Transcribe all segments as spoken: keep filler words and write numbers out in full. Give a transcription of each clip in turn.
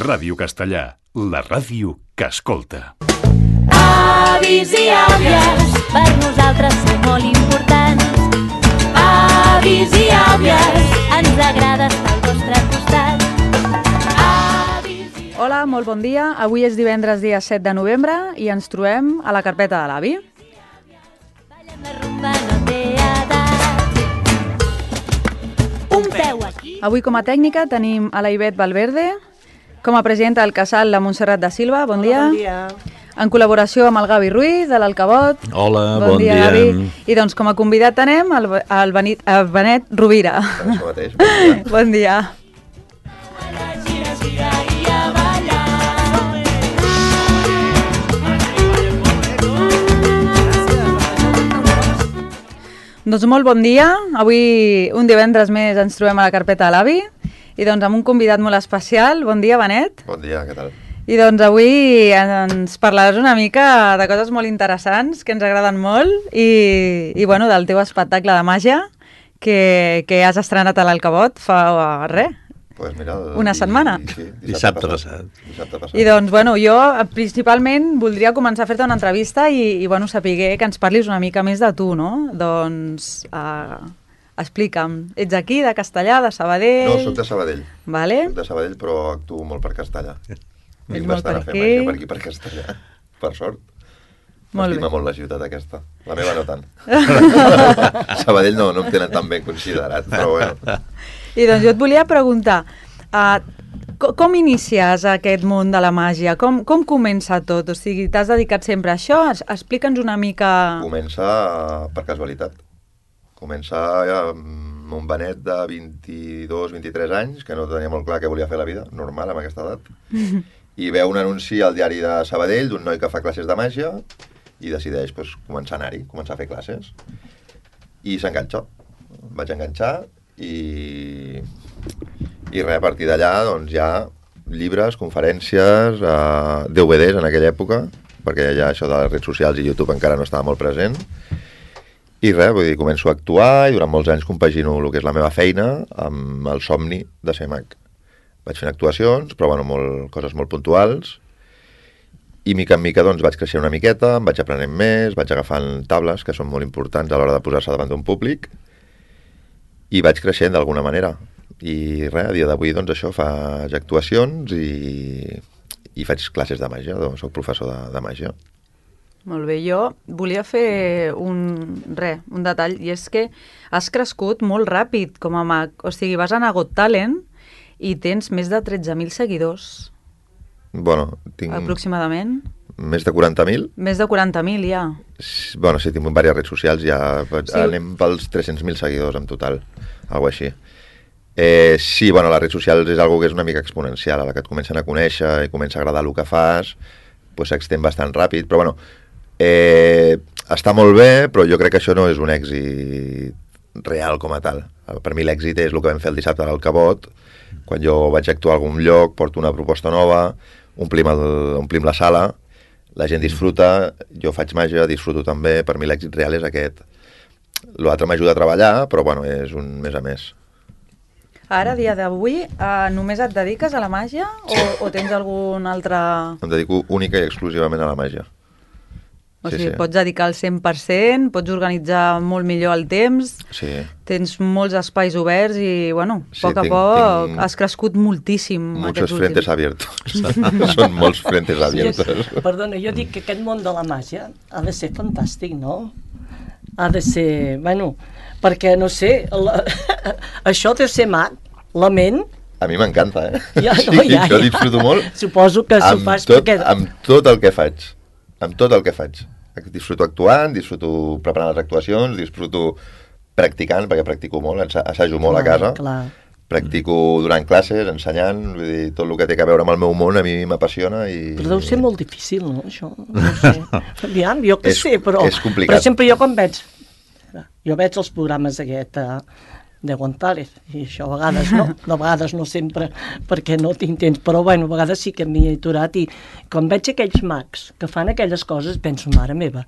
Ràdio Castellà, la ràdio que escolta. Avis i àvies, per nosaltres són molt importants. Avis i àvies, ens agrada estar al vostre costat. Avis i... Hola, molt bon dia. Avui és divendres, dia set de novembre, i ens trobem a la carpeta de l'avi. Ballem la rumba, no té edat. Un peu aquí. Avui com a tècnica tenim a la Ivet Valverde, com a presidenta del Casal, la Montserrat da Silva. Bon dia. Bon dia. En col·laboració amb el Gavi Ruiz, de l'Alcabot. Hola, bon, bon dia, dia. Gavi. I doncs com a convidat tenem el, el, Benit, el Benet Rovira. Això mateix, bon dia. Bon dia. Gira, gira i a ballar. Doncs molt bon dia. Avui, un divendres més, ens trobem a la carpeta de l'avi. I doncs amb un convidat molt especial. Bon dia, Benet. Bon dia, què tal? I doncs avui ens parlaràs una mica de coses molt interessants que ens agraden molt i, i bueno, del teu espectacle de màgia que, que has estrenat a l'Alcabot fa res, Pues mira, el, una setmana. I, sí, Dissabte passat. Dissabte passat. I doncs, bueno, jo principalment voldria començar a fer-te una entrevista i, i bueno, sapiguer que ens parlis una mica més de tu, no? Doncs, uh, explica'm, ets aquí, de Castellà, de Sabadell? No, soc de Sabadell. Vale. Soc de Sabadell, però actuo molt per Castellà. Vinc molt bastant per a fer aquí. màgia per aquí, per Castellà. Per sort. Molt M'estima bé. molt la ciutat aquesta. La meva no tant. Sabadell no, no em tenen tan ben considerat, però bueno. I doncs jo et volia preguntar, uh, com, com inicies aquest món de la màgia? Com, com comença tot? O sigui, t'has dedicat sempre a això? Es- Explica'ns una mica... Comença per casualitat. Comença amb un Benet de vint-i-dos vint-i-tres anys, que no tenia molt clar què volia fer a la vida, normal amb aquesta edat, i veu un anunci al diari de Sabadell d'un noi que fa classes de màgia i decideix pues, començar a anar-hi, començar a fer classes. I s'enganxa. Vaig enganxar i, i res, a partir d'allà doncs, hi ha llibres, conferències, eh, D V Ds en aquella època, perquè ja això de les redes socials i YouTube encara no estava molt present. I res, vull dir, començo a actuar i durant molts anys compagino el que és la meva feina amb el somni de ser mag. Vaig fent actuacions, però bueno, molt, coses molt puntuals, i mica en mica doncs, vaig creixer una miqueta, em vaig aprenent més, vaig agafant tables que són molt importants a l'hora de posar-se davant d'un públic, i vaig creixent d'alguna manera. I res, a dia d'avui doncs això, faig actuacions i, i faig classes de màgia, doncs, soc professor de, de màgia. Molt bé, jo volia fer un, res, un detall, i és que has crescut molt ràpid com a mag. O sigui, vas anar a Got Talent i tens més de tretze mil seguidors, Bueno, tinc aproximadament. més de quaranta mil. Més de quaranta mil, ja. Bueno, sí, tinc diverses redes socials, ja Sí. sí. anem pels tres-cents mil seguidors en total, alguna així. Eh, sí, bueno, les redes socials és algo que és una mica exponencial, a la que et comencen a conèixer i comença a agradar el que fas, pues s'extén bastant ràpid, però bueno, eh, està molt bé, però jo crec que això no és un èxit real com a tal. Per mi l'èxit és el que vam fer el dissabte a l'Alcabot, quan jo vaig actuar a algun lloc, porto una proposta nova, omplim, el, omplim la sala, la gent disfruta, jo faig màgia, disfruto també, per mi l'èxit real és aquest. L'altre m'ajuda a treballar, però bueno, és un més a més. Ara, a dia d'avui, eh, només et dediques a la màgia o, o tens algun altre... Em dedico única i exclusivament a la màgia. O Sí, sigui, sí. pots dedicar al cent per cent, pots organitzar molt millor el temps, Sí. tens molts espais oberts i, bueno, a Sí, poc a tinc- poc tinc has crescut moltíssim. Muchos aquests frentes últims- abiertos. Són molts frentes abiertos. Perdona, jo dic que aquest món de la màgia ha de ser fantàstic, no? Ha de ser, bueno, perquè, no sé, la, això de ser mag, la ment, A mi m'encanta, eh? Ja, sí, no, ja, jo ja. disfruto molt suposo que s'ho amb fas tot, perquè... amb tot el que faig. Amb tot el que faig. Disfruto actuant, disfruto preparant les actuacions, disfruto practicant, perquè practico molt, ensa- assajo molt a casa. Clar. Practico durant classes, ensenyant, vull dir, tot el que té a veure amb el meu món a mi m'apassiona i... Però deu ser molt difícil, no, això? No sé. Aviam, jo què És- sé, però... és complicat. Però sempre jo quan veig... Jo veig els programes aquest eh, de González, i això a vegades no, de vegades no sempre, perquè no tinc temps, però bueno, a vegades sí que m'hi he aturat, i quan veig aquells mags que fan aquelles coses, penso, mare meva,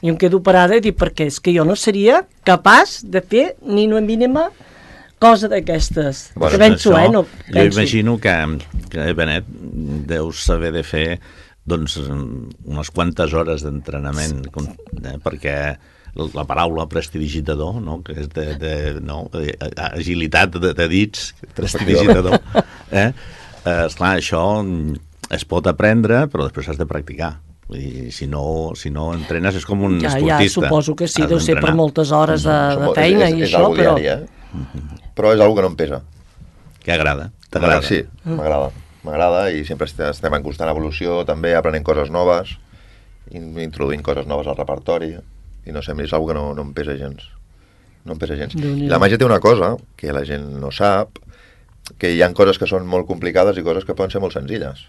i em quedo parada i dic, perquè és que jo no seria capaç de fer ni una mínima cosa d'aquestes. Bueno, Que penso, això, eh? No, jo penso. imagino que, que Benet, deus saber de fer doncs, unes quantes hores d'entrenament, com- eh, perquè la paraula prestidigitador, no? Que és de, de no? agilitat de, de dits, prestidigitador, eh? Eh, esclar, això es pot aprendre, però després has de practicar. Vull dir, si no, si no entrenes és com un Ja, ja, esportista. suposo que sí, Has deu ser per d'entrenar. moltes hores de, Som de molt- feina és, i és, és això, algo però... diari, eh? Però és algo que no em pesa. Que agrada, M'agrada, t'agrada. sí, m'agrada. M'agrada i sempre est- estem en constant evolució, també aprenent coses noves, in- introduint coses noves al repertori, i no sé, a mi és algo que no, no em pesa gens. No em pesa gens. Déu-n'hi-do. I la màgia té una cosa que la gent no sap, que hi ha coses que són molt complicades i coses que poden ser molt senzilles.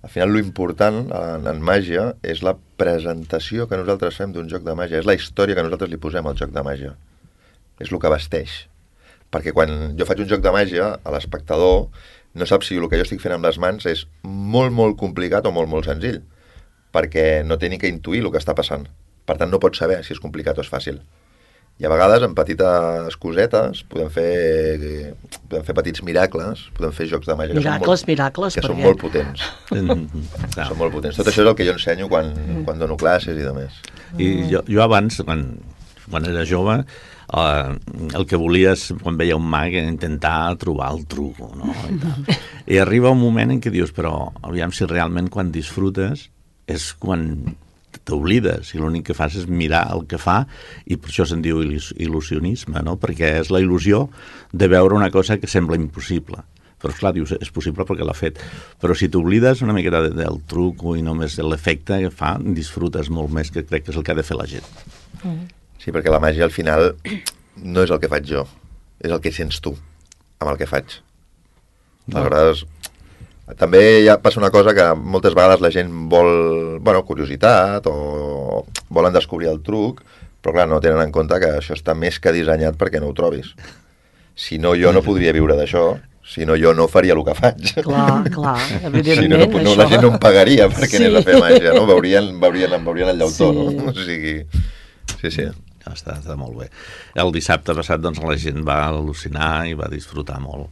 Al final, lo important en, en màgia és la presentació que nosaltres fem d'un joc de màgia, és la història que nosaltres li posem al joc de màgia. És el que vesteix. Perquè quan jo faig un joc de màgia, a l'espectador no sap si el que jo estic fent amb les mans és molt, molt complicat o molt, molt senzill, perquè no té ni que intuir el que està passant. Per tant, no pot saber si és complicat o és fàcil. I a vegades, amb petites cosetes, podem fer, podem fer petits miracles, podem fer jocs de màgia que Miracles, són molt, miracles, que són perquè- molt potents. Clar. Són molt potents. Tot això és el que jo ensenyo quan, quan dono classes i de més. I jo, jo abans, quan, quan era jove, eh, el que volies, quan veia un mag, era intentar trobar el truco, no? I, tal. I arriba un moment en què dius, però aviam si realment quan disfrutes és quan t'oblides i l'únic que fas és mirar el que fa i per això se'n diu il·lus- il·lusionisme, no? Perquè és la il·lusió de veure una cosa que sembla impossible. Però, esclar, dius, és possible perquè l'ha fet. Però si t'oblides una miqueta de, del truco i només de l'efecte que fa, disfrutes molt més, que crec que és el que ha de fer la gent. Sí, perquè la màgia al final no és el que faig jo, és el que sents tu amb el que faig. Aleshores, també ja passa una cosa que moltes vegades la gent vol, bueno, curiositat o volen descobrir el truc, però clar, no tenen en compte que això està més que dissenyat perquè no ho trobis. Si no, jo no podria viure d'això, si no, jo no faria el que faig. Clar, clar, Si no, evidentment, no, no, la això. gent no em pagaria perquè Sí. anés a fer màgia, no? Veurien, veurien, em veurien el llautó, Sí. no? O sigui, sí, sí. Ja està, està molt bé. El dissabte passat doncs, la gent va al·lucinar i va disfrutar molt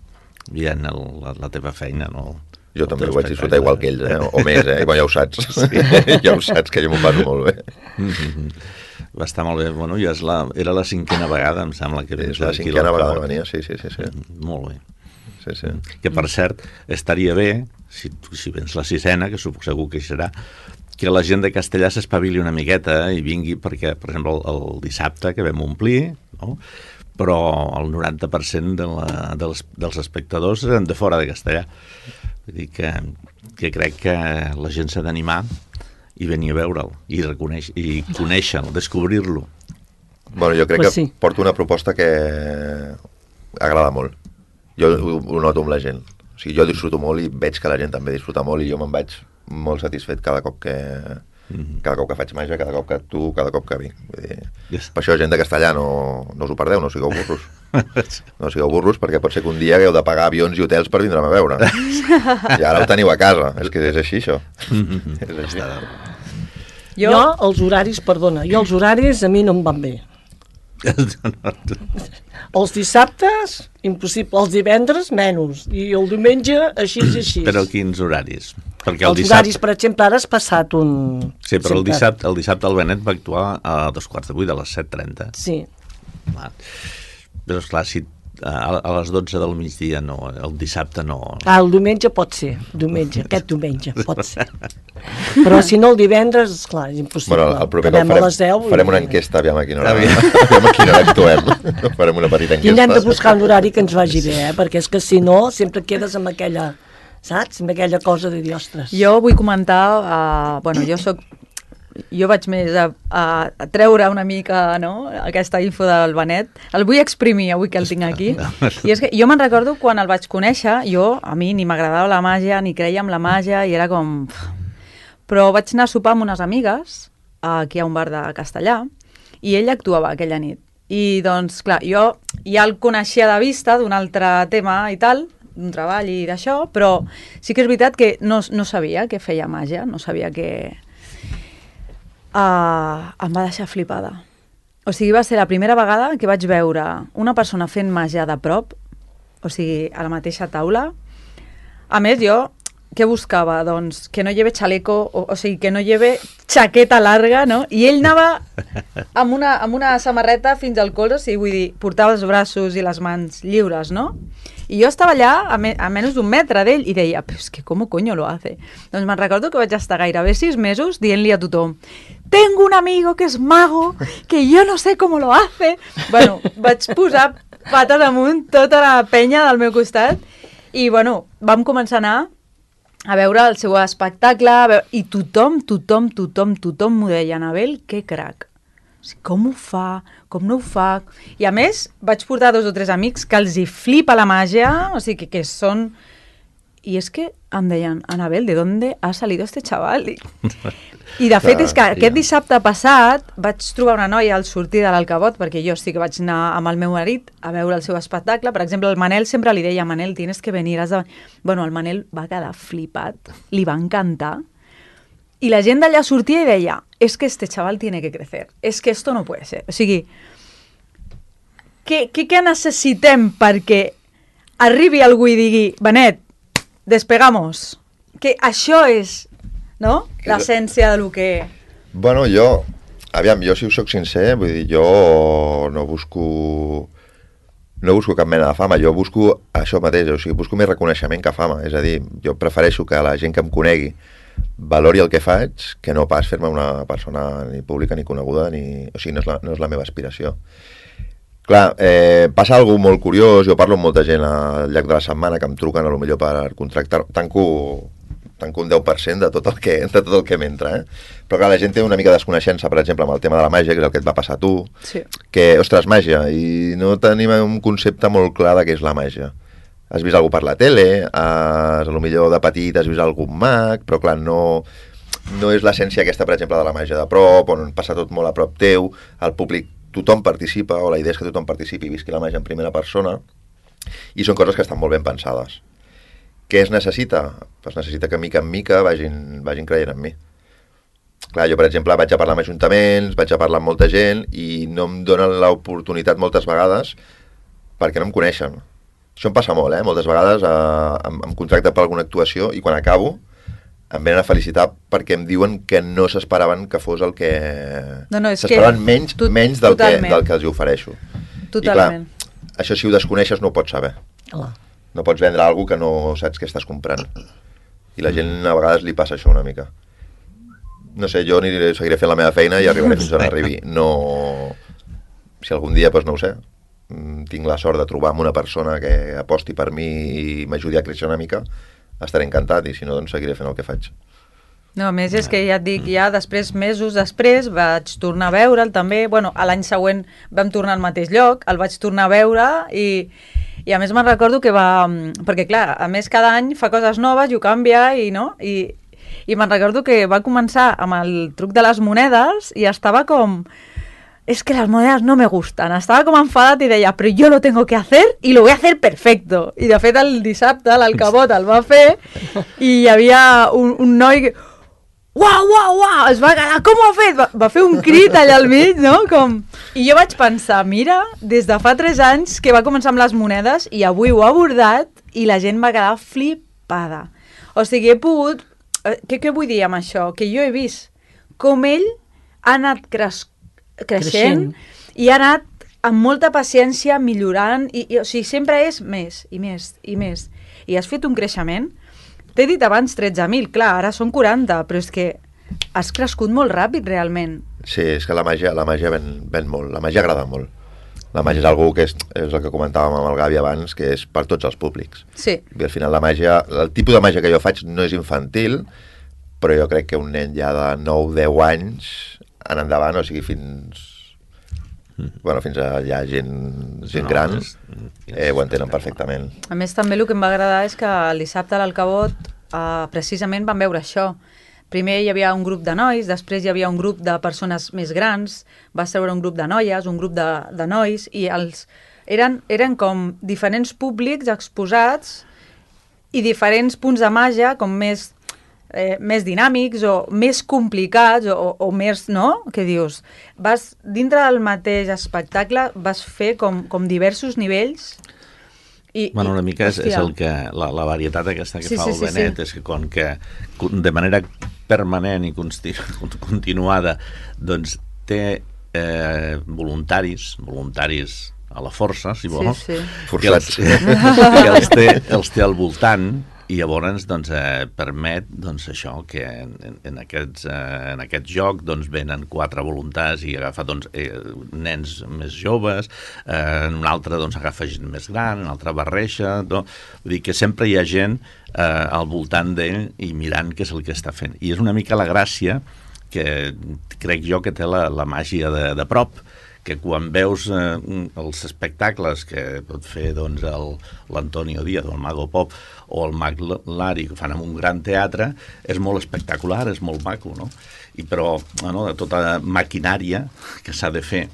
veient el, la, la teva feina, no? Jo El també teu ho vaig disfrutar igual que ells, eh? O més, eh? I bueno, ja ho saps. Sí. Ja ho saps, que jo m'ho passo molt bé. Mhm. Va estar molt bé. Bueno, ja és la, era la cinquena vegada, em sembla que És vens la aquí cinquena al vegada Cabot. que venia, sí, sí, sí. sí. Molt bé. sí, sí. Que, per cert, estaria bé, si, si vens la sisena, que suposo segur que hi serà, que la gent de Castellà s'espavili una miqueta i vingui, perquè, per exemple, el, el dissabte que vam omplir, no? Però el noranta per cent de la, dels, dels espectadors eren de fora de Castellà. Vull dir que, que crec que la gent s'ha d'animar i venir a veure'l i, reconeix, i conèixer-lo, descobrir-lo. Bueno, jo crec Pues que sí. porto una proposta que agrada molt. Jo ho, ho noto amb la gent. O sigui, jo disfruto molt i veig que la gent també disfruta molt i jo me'n vaig molt satisfet cada cop que, cada cop que faig màgia, cada cop que actuo, cada cop que vinc. Vull dir, Yes. per això, gent de Castellà, no, no us ho perdeu, no sigueu burros. No sigueu burros perquè pot ser que un dia hagueu de pagar avions i hotels per vindre'm a veure. I ara ho teniu a casa. És que és així, això. És així. Jo... jo, els horaris, perdona, jo els horaris a mi no em van bé. Els dissabtes, impossible. Els divendres, menys. I el diumenge, així i així. Però quins horaris? Perquè el Els dissabte... horaris, per exemple, ara has passat un... Sí, però el sempre- dissabte, el dissabte el Benet va actuar a dos quarts de vuit, a les set trenta. Sí. Clar. Però, esclar, si a, a les dotze del migdia no, el dissabte no... Ah, el diumenge pot ser. Diumenge, aquest diumenge, pot ser. Però si no el divendres, esclar, és impossible. Bueno, el proper cop Acabem a farem, les deu i- farem una enquesta, aviam a quina hora, aviam a quina hora actuem. Farem una petita enquesta. Tindrem de buscar un horari que ens vagi bé, eh? Perquè és que si no, sempre quedes amb aquella, saps? Amb aquella cosa de dir, ostres. Jo vull comentar, uh, bueno, jo soc jo vaig més a, a, a treure una mica, no?, aquesta info del Benet. El vull exprimir avui que el tinc aquí. I és que jo me'n recordo quan el vaig conèixer, jo, a mi ni m'agradava la màgia, ni creia en la màgia, i era com... Però vaig anar a sopar amb unes amigues, aquí a un bar de Castellà, i ell actuava aquella nit. I doncs, clar, jo ja el coneixia de vista d'un altre tema i tal, d'un treball i d'això, però sí que és veritat que no, no sabia que feia màgia, no sabia que... Uh, em va deixar flipada. o sigui, va ser la primera vegada que vaig veure una persona fent màgia de prop, o sigui, a la mateixa taula. A més, jo, què buscava? Doncs que no lleve xaleco, o, o sigui, que no lleve xaqueta larga, no? I ell anava amb una, amb una samarreta fins al colze, o sigui, vull dir, portava els braços i les mans lliures, no? I jo estava allà a, me, a menys d'un metre d'ell i deia, però és que com coño lo hace? Doncs me'n recordo que vaig estar gairebé sis mesos dient-li a tothom, tengo un amigo que es mago, que yo no sé cómo lo hace. Bueno, vaig posar pates amunt tota la penya del meu costat i, bueno, vam començar a anar a veure el seu espectacle a veure, i tothom, tothom, tothom, tothom m'ho deia, Anabel, que crac. O sigui, com ho fa, com no ho fa... I a més, vaig portar dos o tres amics que els hi flipa la màgia, o sigui, que, que són... I és que em deien, Anabel, ¿de dónde ha salido este chaval? I, i de fet, és que aquest dissabte passat vaig trobar una noia al sortir de l'Alcabot, perquè jo sí que vaig anar amb el meu marit a veure el seu espectacle. Per exemple, el Manel sempre li deia, Manel, tienes que venir. Has de... Bueno, el Manel va quedar flipat, li va encantar. I la gent d'allà sortia i deia, es que este chaval tiene que crecer, es que esto no puede ser. O sigui, què, què, què necessitem perquè arribi algú i digui, Benet, despegamos, que això és, no?, l'essència de lo que... Bueno, jo, aviam, jo si us soc sincer, vull dir, jo no busco... No busco cap mena de fama, jo busco això mateix, o sigui, busco més reconeixement que fama, és a dir, jo prefereixo que la gent que em conegui valori el que faig, que no pas fer-me una persona ni pública ni coneguda, ni... o sigui, no és la, no és la meva aspiració. Clar, eh, passa alguna molt curiós, jo parlo amb molta gent al llarg de la setmana que em truquen a lo millor per contractar, tanco, tanco un deu per cent de tot el que, de tot el que m'entra, eh? Però clar, la gent té una mica de desconeixença, per exemple, amb el tema de la màgia, que és el que et va passar a tu, sí. Que, ostres, màgia, i no tenim un concepte molt clar de què és la màgia. Has vist algú per la tele, has, a lo millor de petit has vist algun mag, però clar, no, no és l'essència aquesta, per exemple, de la màgia de prop, on passa tot molt a prop teu, el públic, tothom participa, o la idea és que tothom participi i visqui la màgia en primera persona, i són coses que estan molt ben pensades. Què es necessita? Pues necessita que mica en mica vagin, vagin creient en mi. Clar, jo, per exemple, vaig a parlar amb ajuntaments, vaig a parlar amb molta gent, i no em donen l'oportunitat moltes vegades perquè no em coneixen. Això em passa molt, eh? Moltes vegades eh, em, em contracten per alguna actuació i quan acabo em venen a felicitar perquè em diuen que no s'esperaven que fos el que... No, no, s'esperaven menys, tot, menys del, que, del que els hi ofereixo. Totalment. I clar, això si ho desconeixes no ho pots saber. Oh. No pots vendre alguna que no saps què estàs comprant. I la gent a vegades li passa això una mica. No sé, jo aniré, seguiré fent la meva feina i arribaré fins on arribi. No... Si algun dia, doncs no ho sé, tinc la sort de trobar amb una persona que aposti per mi i m'ajudi a créixer una mica, estaré encantat, i si no, doncs seguiré fent el que faig. No, a més és que ja et dic, ja després, mesos després, vaig tornar a veure'l també, bueno, a l'any següent vam tornar al mateix lloc, el vaig tornar a veure i, i a més me'n recordo que va... Perquè clar, a més cada any fa coses noves i ho canvia i no... I, i me'n recordo que va començar amb el truc de les monedes i estava com... Es que las monedas no me gustan. Estava com enfadat i deia, però jo lo tengo que hacer y lo voy a hacer perfecto. I de fet el dissabte l'Alcabot el va fer i hi havia un, un noi que... Uau, uau, uau! Es va quedar, com ho ha fet? Va, va fer un crit allà al mig, no? Com... I jo vaig pensar, mira, des de fa tres anys que va començar amb les monedes i avui ho ha abordat i la gent va quedar flipada. O sigui, he pogut... Què, què vull dir amb això? Que jo he vist com ell ha anat crescut creixent, creixent i ha anat amb molta paciència millorant i, i o sigui, sempre és més i més i més i has fet un creixement. T'he dit abans tretze mil, clar, ara són quaranta, però és que has crescut molt ràpid realment. Sí, és que la màgia, la màgia ven, ven molt, la màgia agrada molt. La màgia és algú que és, és el que comentàvem amb el Gavi abans, que és per tots els públics. Sí. I al final la màgia, el tipus de màgia que jo faig no és infantil, però jo crec que un nen ja de nou deu anys en endavant, o sigui, fins... Bueno, fins a ja gent, gent gran, eh, ho entenen perfectament. A més, també el que em va agradar és que el dissabte a l'Alcabot eh, precisament vam veure això. Primer hi havia un grup de nois, després hi havia un grup de persones més grans, va seure un grup de noies, un grup de, de nois, i els, eren, eren com diferents públics exposats i diferents punts de màgia, com més... eh, més dinàmics o més complicats o, o més, no? Que dius, vas, dintre del mateix espectacle vas fer com, com diversos nivells i... Bueno, una mica és, és hòstia. el que, la, la varietat aquesta que Sí, fa sí, el sí, Benet, sí. és que com que de manera permanent i consti- continuada doncs té eh, voluntaris, voluntaris a la força, si vols, Sí, sí. que, els, que els, té, els té al voltant i llavors doncs, eh, permet doncs, això que en, en, aquests, eh, en aquest joc doncs, venen quatre voluntats i agafa doncs, eh, nens més joves, eh, en un altre doncs, agafa gent més gran, en un altre barreja, no? Vull dir que sempre hi ha gent eh, al voltant d'ell i mirant què és el que està fent. I és una mica la gràcia que crec jo que té la, la màgia de, de prop, que quan veus eh, els espectacles que pot fer doncs, l'Antonio Díaz o el Mago Pop o el Mag Lari que fan en un gran teatre, és molt espectacular, és molt maco, no? I però, bueno, de tota maquinària que s'ha de fer,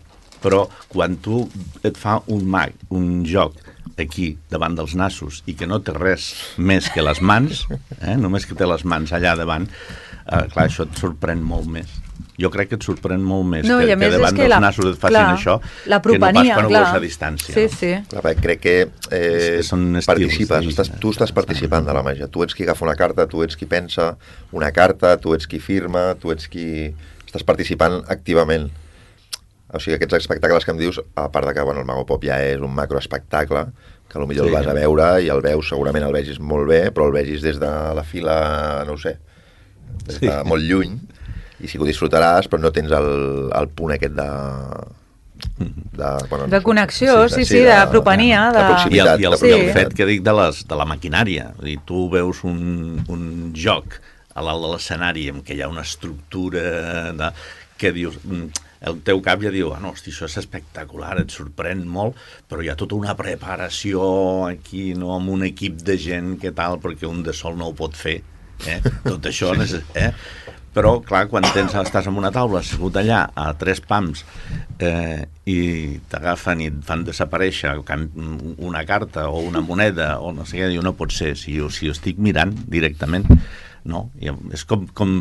però quan tu et fa un mag, un joc aquí davant dels nassos i que no té res més que les mans, eh, només que té les mans allà davant, eh, clar, això et sorprèn molt més. Jo crec que et sorprèn molt més No, que, i a que més davant és que dels la- nassos et facin clar, això la propania, que no pas quan ho clar. veus a distància. Sí, no? sí. Clar, perquè crec que eh, Són estils participes, de estàs, vida. tu estàs participant de la màgia. Tu ets qui agafa una carta, tu ets qui pensa una carta, tu ets qui firma, tu ets qui... Estàs participant activament. O sigui, aquests espectacles que em dius, a part de que bueno, el Mago Pop ja és un macroespectacle, que potser Sí. el vas a veure i el veus, segurament el vegis molt bé, però el vegis des de la fila, no ho sé, des de Sí. molt lluny, i sí que ho disfrutaràs, però no tens el, el punt aquest de... De, bueno, De connexió, sí, sí, de propania, de- de I el, proximitat. i el, de sí. i el proximitat. fet que dic de, les, de la maquinària, vull dir, tu veus un, un joc a l'alt de l'escenari en què hi ha una estructura de, que dius, mm, el teu cap ja diu, ah, no, hosti, això és espectacular, et sorprèn molt, però hi ha tota una preparació aquí, no, amb un equip de gent que tal, perquè un de sol no ho pot fer, eh? Tot això, eh? Però, clar, quan tens, estàs en una taula assegut allà a tres pams eh, i t'agafen i et fan desaparèixer una carta o una moneda o no sé què, diu, no pot ser, si jo, si jo estic mirant directament, no? I és com, com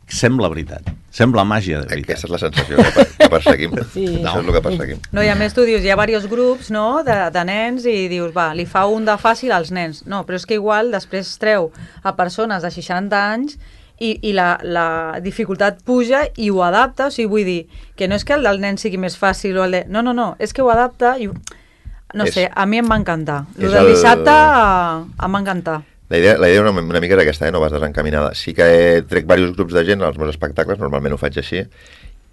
sembla veritat, sembla màgia de veritat. Aquesta és la sensació que, per, que perseguim. Sí. Això és el que perseguim. No, i a més tu dius, hi ha diversos grups, no?, de, de nens i dius, va, li fa un de fàcil als nens. No, però és que igual després treu a persones de seixanta anys i, i la, la dificultat puja i ho adapta, o sigui, vull dir, que no és que el del nen sigui més fàcil o el de... No, no, no, és que ho adapta i... No És- sé, a mi em va encantar. és El del el- dissabte eh, em va encantar. La idea, la idea una, una mica era aquesta, eh? No vas desencaminada. Sí que he trec diversos grups de gent als meus espectacles, normalment ho faig així,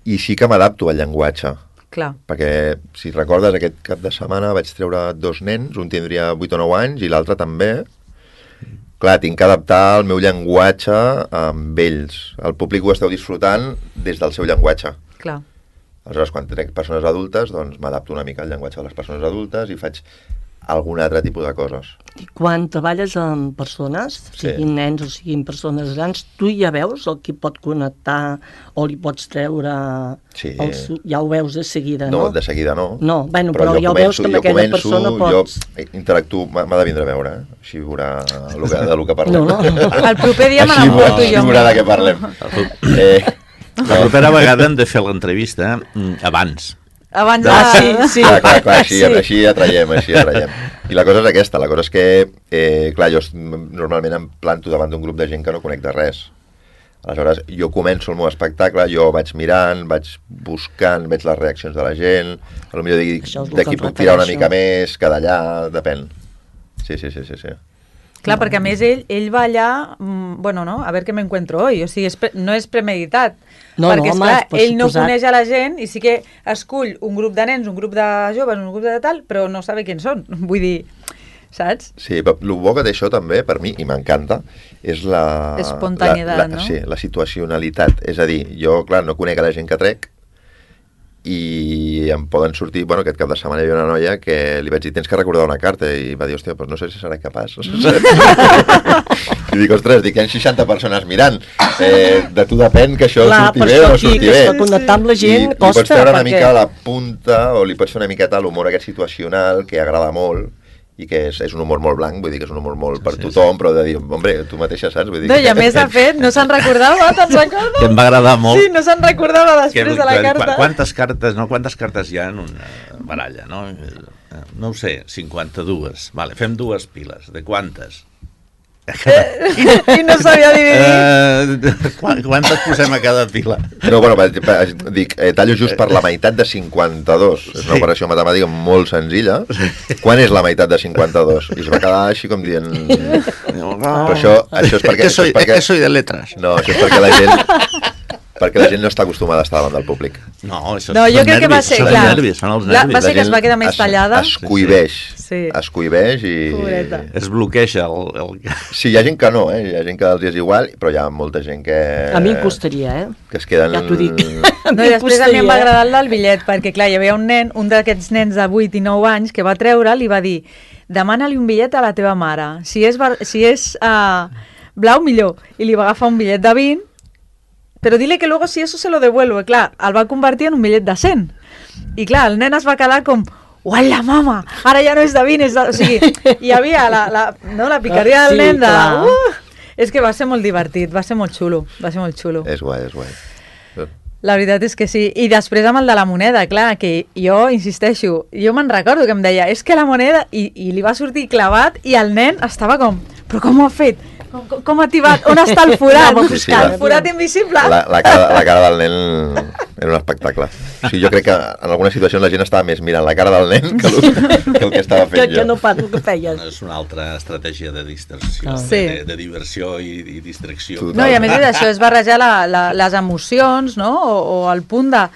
i sí que m'adapto al llenguatge. Clar. Perquè, si recordes, aquest cap de setmana vaig treure dos nens, un tindria vuit o nou anys i l'altre també. Clar, tinc que adaptar el meu llenguatge amb ells. El públic ho esteu disfrutant des del seu llenguatge. Clar. Aleshores, quan trec persones adultes, doncs m'adapto una mica al llenguatge de les persones adultes i faig algun altre tipus de coses. I quan treballes amb persones, Sí. siguin nens o siguin persones grans, tu ja veus el que pot connectar o li pots treure... Sí. El, su- ja ho veus de seguida, No, no? de seguida no. No, bueno, però jo ja ho veus que amb jo aquella començo, persona pots- Jo interactuo, m'ha m'ha de vindre a veure, eh? Així veurà el que, de lo que parlem. No, no. El proper dia me Així, n'emporto així jo. veurà de què parlem. Eh, La propera vegada hem de fer l'entrevista mm, abans. Abans de... Ah, sí, sí. clar, clar, clar, així, Sí. així atraiem, així atraiem. I la cosa és aquesta, la cosa és que, eh, clar, jo es- normalment em planto davant d'un grup de gent que no conec de res. Aleshores, jo començo el meu espectacle, jo vaig mirant, vaig buscant, veig les reaccions de la gent, potser dic, Això és el que d'aquí em puc tirar una refereixo. mica més, que d'allà, depèn. Sí, sí, sí, sí, sí. Clar, perquè a més ell, ell va allà, mm, bueno, no, a veure què m'encuentro hoy, o sigui, és pre no és premeditat, No, perquè, no, home, esclar, per ell no suposat. coneix a la gent i sí que escull un grup de nens, un grup de joves, un grup de tal, però no sabe quins són, vull dir, saps? Sí, però el bo que té això també, per mi, i m'encanta, és la... Espontaneïtat, la, la, no? Sí, la situacionalitat. És a dir, jo, clar, no conec a la gent que trec, i em poden sortir, bueno, aquest cap de setmana hi havia una noia que li vaig dir, tens que recordar una carta, i va dir, hòstia, doncs no sé si serà capaç. I dic, ostres, dic, hi ha seixanta persones mirant, eh, de tu depèn que això Clar, surti per bé això o no aquí, surti que bé. es pot connectar amb la gent I li costa, pots treure una perquè- mica la punta, o li pots fer una miqueta l'humor aquest situacional, que agrada molt, i que és, és un humor molt blanc, vull dir que és un humor molt per Sí, tothom, però de dir, hombre, tu mateixa saps? Vull dir No, que... i a més, de fet, no se'n recordava, te'n recordes? Que em va agradar molt. Sí, no se'n recordava Que, després de la que- carta. Quantes cartes, no? Quantes cartes hi ha en una baralla, no? No ho sé, cinquanta-dues. Vale, fem dues piles. De quantes? I no sabia dividir. Eh, quan- quantes posem a cada pila? No, bueno, per- per- dic, eh, tallo just per la meitat de cinquanta-dos. És una Sí. operació matemàtica molt senzilla. Quan és la meitat de cinquanta-dos? I es va quedar així com dient... Però això, això és perquè... que soy, això és perquè... que soy de letras. No, això és perquè la gent... perquè la gent no està acostumada a estar davant del públic. No, això No, jo són crec que va nervis, ser, són clar, nervis, són els la- nervis. va ser que es gent va quedar més es- tallada. Es cuibeix. Sí. Es cuibeix i... Pobreta. Es bloqueja el... el... Sí, hi ha gent que no, eh? Hi ha gent que els és igual, però hi ha molta gent que... A mi em costaria, eh? Que es queden... Ja t'ho dic. A No, mi i després a mi em va costaria. agradar el del bitllet, perquè clar, hi havia un nen, un d'aquests nens de vuit i nou anys, que va treure'l i va dir, demana-li un bitllet a la teva mare. Si és, bar- si és uh, blau, millor. I li va agafar un bitllet de vint, però dile que luego si eso se lo devuelvo. Clar, el va convertir en un bitllet de cent. I clar, el nen es va quedar com, uala, mama, ara ja no és de vint, és de... O sigui, hi havia la, la, no, la picardia del Sí, nen de... clar. Uh, és que va ser molt divertit, va ser molt xulo, va ser molt xulo. És guai, és guai. La veritat és que sí. I després amb el de la moneda, clar, que jo insisteixo, jo me'n recordo que em deia, és que la moneda... I, i li va sortir clavat i el nen estava com, però com ho ha fet? Com, com, com ha tibat? On està el forat? Anava Sí, sí, buscant. el forat invisible? La, la, cara, la cara del nen era un espectacle. O sigui, jo crec que en algunes situacions la gent estava més mirant la cara del nen que el que, el que estava Que, fent que jo. no pas el que feies. És una altra estratègia de distracció, Ah. de, Sí. de, de diversió i, i distracció. Tu- No, i a més és això, és barrejar la, la, les emocions, no? O, o el punt de...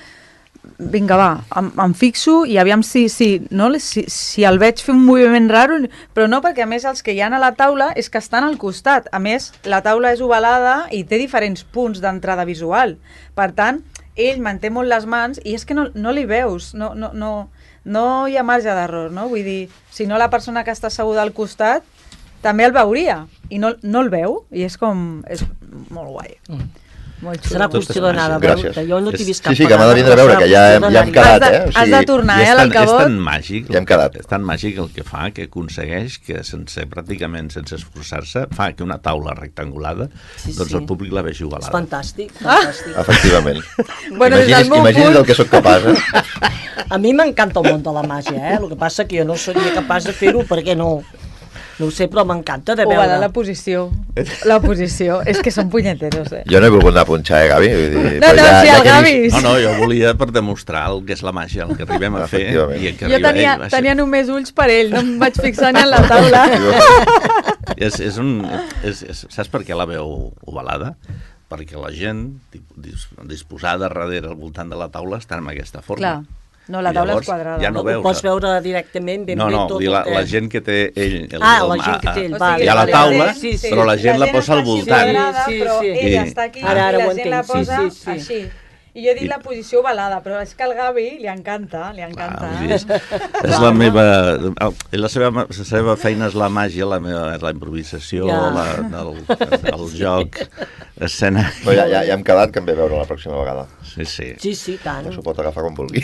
Vinga, va, em, em fixo i aviam si, si, no? si, si el veig fer un moviment raro, però no, perquè a més els que hi ha a la taula és que estan al costat. A més, la taula és ovalada i té diferents punts d'entrada visual. Per tant, ell manté molt les mans i és que no, no li veus, no, no, no, no hi ha marge d'error, no? Vull dir, si no la persona que està asseguda al costat també el veuria i no, no el veu i és com... és molt guai. Mm. Molt xulo. Serà qüestió d'anar a Gràcies. veure-te. Jo no t'he vist cap Sí, sí, que m'ha de vindre a veure, que ja, hem- ja hem quedat, Has de- eh? O has de tornar, I eh, és a tan, és l'Alcabot. tan màgic, Ja hem quedat. és tan màgic el que fa, que aconsegueix que sense, pràcticament sense esforçar-se, fa que una taula rectangulada, Sí, doncs sí. el públic la vegi És ovalada. fantàstic, fantàstic. Efectivament. Bueno, des del imagini's, meu imagini's punt- del que sóc capaç, eh? A mi m'encanta el món de la màgia, eh? El que passa que jo no seria capaç de fer-ho perquè no... No ho sé, però m'encanta de Ovalada veure. la posició. La posició. És que són punyeteros, eh? Jo no he volgut anar a punxar, eh, Gavi? Vull dir, No, però no, sí, que el he Gavi. vist- No, no, jo volia per demostrar el que és la màgia, el que arribem a fer. Efectivament. I el que Jo arriba tenia, ell va ser- tenia només ulls per ell, no em vaig fixar ni en la taula. És, és un, és, és, saps per què la veu ovalada? Perquè la gent dis, disposada darrere al voltant de la taula està en aquesta forma. Clar. No, la I taula llavors és quadrada. ja no Ho veus. pots veure directament, ben No, bé no, tot vull dir, la, el que... la gent que té ell... El, Ah, el, la gent que té ell, O va. sigui, hi ha la la taula, gent- sí, sí. però la gent la posa al està així voltant. quadrada, Sí, sí, però sí. ell I- està aquí Ara, ara i ho la gent la entenc, sí, posa sí, sí. així. I jo he dit I- la posició ovalada, però és que al Gavi li encanta, li encanta. Ah, vull dir, és, és la meva... el- La seva, la seva feina és la màgia, la, meva, la improvisació, Ja. la, el, el joc, escena... Però ja, ja, ja hem quedat que em ve a veure la pròxima vegada. Sí, sí. Sí, sí, tant. S'ho pot agafar com vulgui.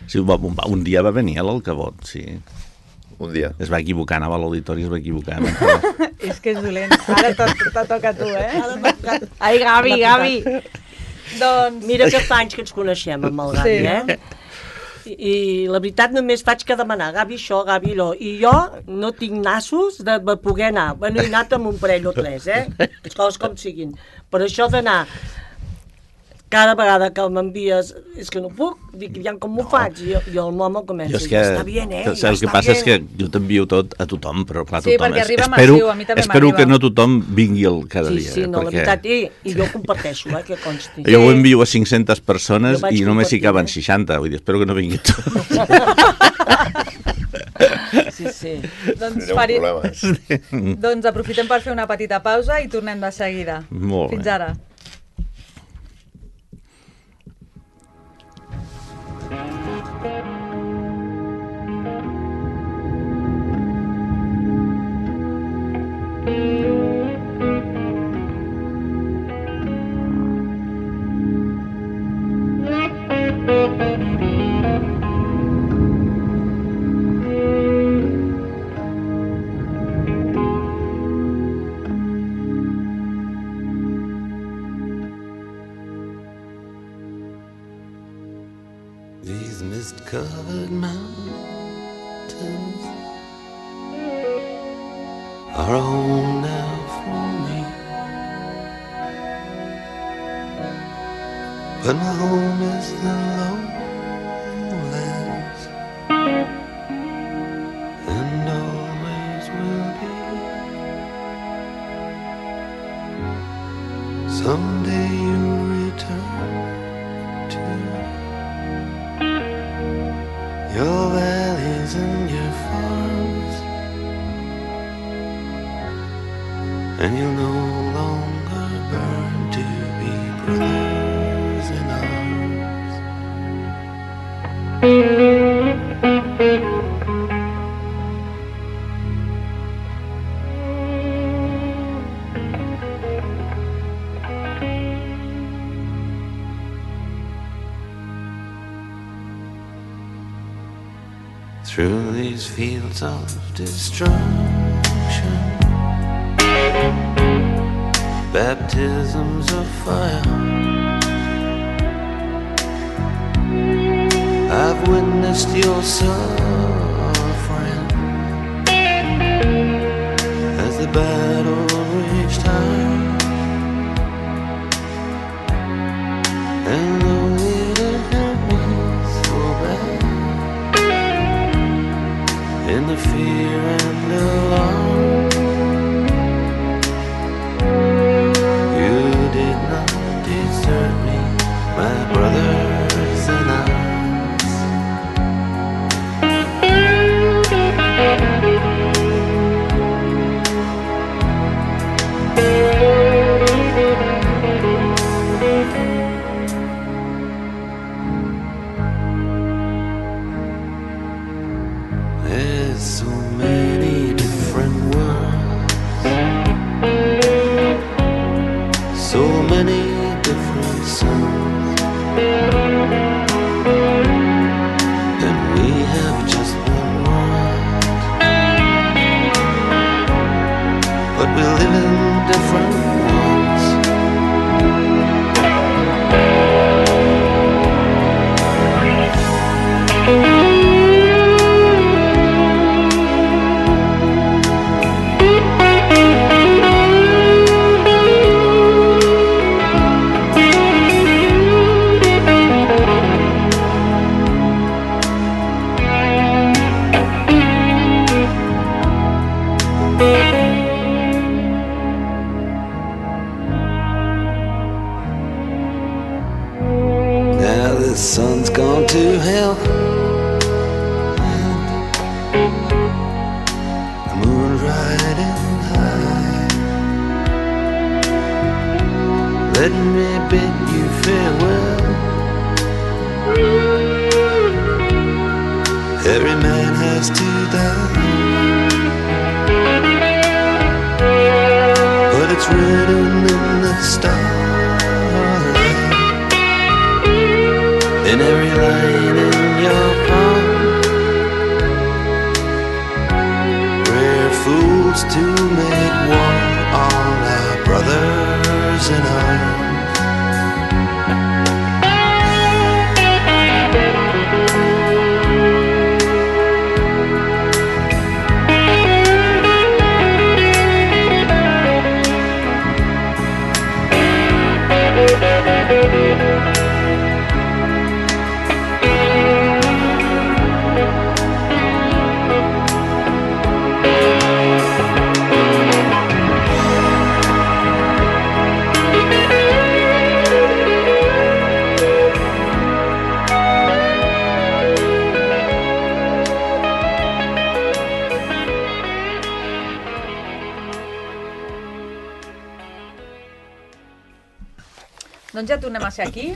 sí un, un, un dia va venir a l'Alcabot, sí. Un dia. Es va equivocar, anava a l'auditori i es va equivocar. És que és dolent. Ara te, te toca a tu, eh? Ai, Gavi, Gavi. Doncs... Mira que fa anys que ens coneixem amb el Gavi, Sí. eh? I, I la veritat només faig que demanar Gavi això, Gavi allò. I jo no tinc nassos de de poder anar. Bueno, he anat amb un parell o tres, eh? Les coses com siguin. Però això d'anar cada vegada que m'envies és que no puc, dic, ja com m'ho faig? I, i el mama comença, Jo és que, ja està bien, eh? el Ja que està passa és que bien. jo t'envio tot a tothom, però clar, Sí, tothom... perquè arriba espero, massiu, a mi també espero m'arriba. que no tothom vingui el cada Sí, dia. sí, eh, no, la perquè veritat, i, i jo ho comparteixo, eh, que consti. jo ho envio a cinc-centes persones Jo vaig i només hi compartir, caben eh? seixanta, vull dir, espero que no vingui tot. Sí, sí. Doncs, Seria un fari... problema. doncs aprofitem per fer una petita pausa i tornem de seguida. Molt bé. Fins ara. desert mountains are a home now for me. But my home is the lowlands, and always will be. Someday you'll return to your valleys and your farms, and you'll no longer burn to be brothers in arms. Through these fields of destruction, baptisms of fire, I've witnessed your suffering as the battle raged high. And though it hurt me so bad, in the fear and alarm, you did not desert me, my brothers in arms. There's so many different worlds, so many different suns, and we have just one world, but we live in different ones. Now the sun's gone to hell, the moon's riding high. Let me bid you farewell. Every man has to die, but it's written in the starlight, in every line in your palm. We're fools to make war on our brothers in arms. Doncs ja tornem a ser aquí.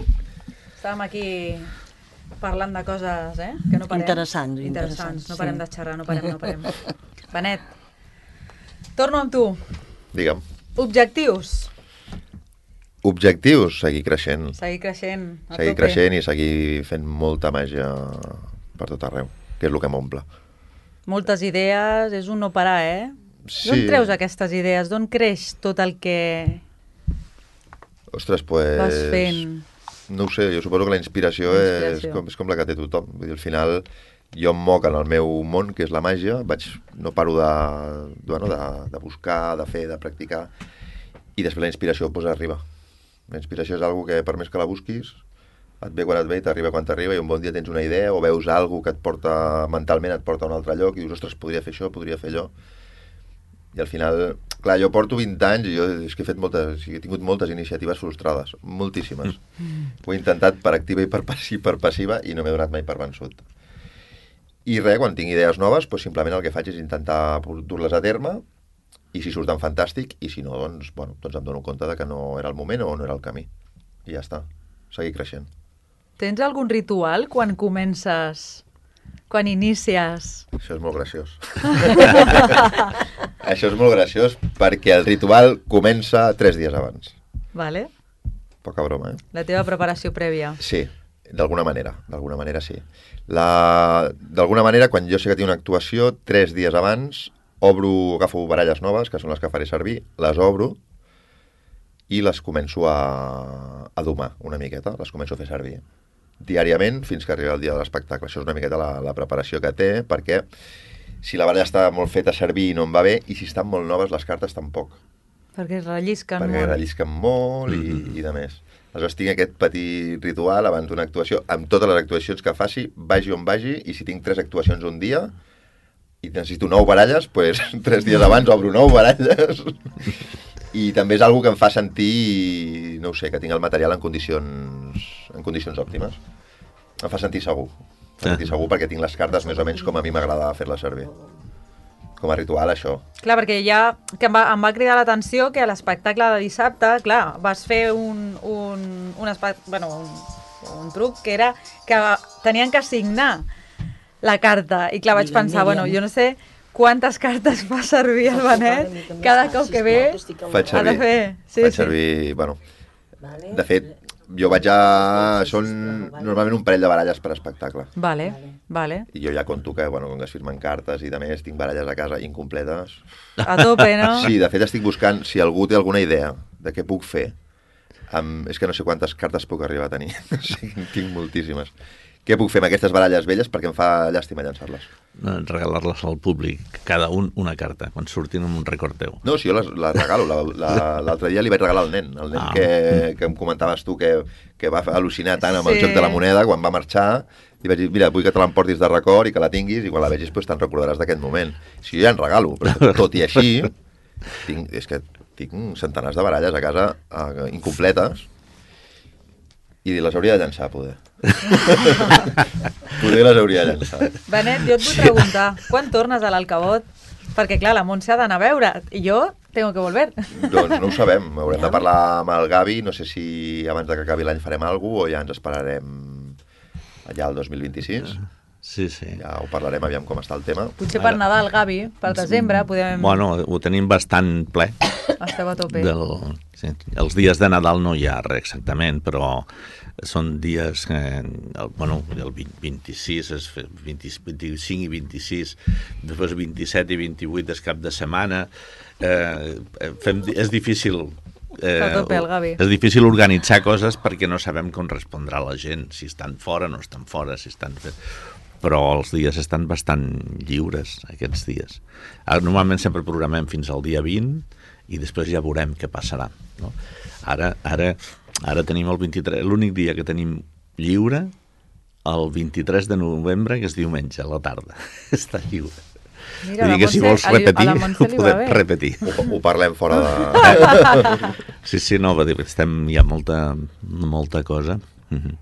Estàvem aquí parlant de coses, eh? Que no parem. Interessants, Interessants. interessants, No parem sí. de xerrar, no parem, no parem. Benet, torno amb tu. Digue'm. Objectius. Objectius, seguir creixent. Seguir creixent. A Seguir tope. creixent i seguir fent molta màgia per tot arreu, que és el que m'omple. Moltes idees, és un no parar, eh? Sí. D'on treus aquestes idees? D'on creix tot el que Ostres, pues... vas fent? No ho sé, jo suposo que la inspiració, La és, inspiració. com, és com la que té tothom. Vull dir, al final jo em moc en el meu món, que és la màgia, vaig, no paro de, de, bueno, de, de buscar, de fer, de practicar, i després la inspiració pues, arriba. La inspiració és algo que per més que la busquis, et ve quan et ve i t'arriba quan t'arriba, i un bon dia tens una idea o veus algo que et porta, mentalment et porta a un altre lloc, i dius, ostres, podria fer això, podria fer allò. I al final, clar, jo porto vint anys i jo és que he fet moltes, he tingut moltes iniciatives frustrades, moltíssimes. Ho he intentat per activa i per, passi, per passiva i no m'he donat mai per vençut. I res, quan tinc idees noves, doncs simplement el que faig és intentar dur-les a terme, i si surten fantàstic, i si no, doncs, bueno, doncs em dono compte de que no era el moment o no era el camí. I ja està, seguir creixent. Tens algun ritual quan comences, quan inicies? Això és molt graciós. Això és molt graciós perquè el ritual comença tres dies abans. Vale. Poca broma, eh? La teva preparació prèvia. Sí, d'alguna manera, d'alguna manera sí. La... D'alguna manera, quan jo sé que tinc una actuació, tres dies abans, obro, agafo baralles noves, que són les que faré servir, les obro i les començo a, a domar una miqueta, les començo a fer servir diàriament fins que arriba el dia de l'espectacle. Això és una miqueta la, la preparació que té, perquè si la baralla està molt feta a servir i no em va bé, i si estan molt noves les cartes tampoc. Perquè es rellisquen perquè molt. Perquè rellisquen molt i, mm-hmm. i de més. Aleshores tinc aquest petit ritual abans d'una actuació, amb totes les actuacions que faci, vagi on vagi, i si tinc tres actuacions un dia i necessito nou baralles, doncs tres dies abans obro nou baralles. I també és algo que em fa sentir, no ho sé, que tinc el material en condicions, en condicions òptimes. Em fa sentir segur. Em fa sentir segur perquè tinc les cartes més o menys com a mi m'agrada fer-les servir. Com a ritual, això. Clar, perquè ja que em va, em va cridar l'atenció que a l'espectacle de dissabte, clar, vas fer un, un, un, espect... bueno, un, un truc que era que tenien que signar la carta. I clar, vaig pensar, bueno, jo no sé quantes cartes fa servir el Benet cada cop que ve faig servir, ha de fer. Sí, faig sí. servir, bueno, de fet, jo vaig a... Són normalment un parell de baralles per espectacle. Vale, vale. I jo ja conto que, bueno, com que es firmen cartes i de més, tinc baralles a casa incompletes. A tope, no? Sí, de fet estic buscant si algú té alguna idea de què puc fer. Amb... És que no sé quantes cartes puc arribar a tenir. O sigui, tinc moltíssimes. Què puc fer amb aquestes baralles velles perquè em fa llàstima llançar-les? Regalar-les al públic, cada un una carta, quan surtin amb un record teu. No, si jo les, les regalo. L'altre dia li vaig regalar al nen, el nen ah. que, que em comentaves tu que, que va al·lucinar tant amb sí. el joc de la moneda, quan va marxar, li vaig dir, mira, vull que te l'emportis de record i que la tinguis, i quan la vegis pues, te'n recordaràs d'aquest moment. Si jo ja en regalo, però tot i així, tinc, és que tinc centenars de baralles a casa uh, incompletes, i les hauria de llançar, poder. Poder les hauria de llançar. Benet, jo et vull preguntar, quan tornes a l'Alcabot? Perquè, clar, la Montse ha d'anar a veure, i jo tengo que volver. Doncs no ho sabem, haurem de parlar amb el Gavi, no sé si abans de que acabi l'any farem alguna cosa o ja ens esperarem allà el dos mil vint-i-sis. Sí, sí. Ja ho parlarem, aviam com està el tema. Potser per Nadal, Gavi, per desembre, podem... Bueno, ho tenim bastant ple. Esteu a tope. Del... Sí. Els dies de Nadal no hi ha res exactament, però són dies que, el, bueno, el vint-i-sis, és vint, vint-i-cinc i vint-i-sis, després vint-i-set i vint-i-vuit és cap de setmana. Eh, fem, és difícil... Eh, tope, el Gavi. És difícil organitzar coses perquè no sabem com respondrà la gent, si estan fora o no estan fora, si estan... però els dies estan bastant lliures, aquests dies. Normalment sempre programem fins al dia vint i després ja veurem què passarà. No? Ara, ara, ara tenim el vint-i-tres, l'únic dia que tenim lliure, el vint-i-tres de novembre, que és diumenge, a la tarda. Està lliure. Mira, Vull dir que si vols repetir, ho podem repetir. Ho, ho parlem fora de... Sí, sí, no, estem, hi ha molta, molta cosa. Mm-hmm.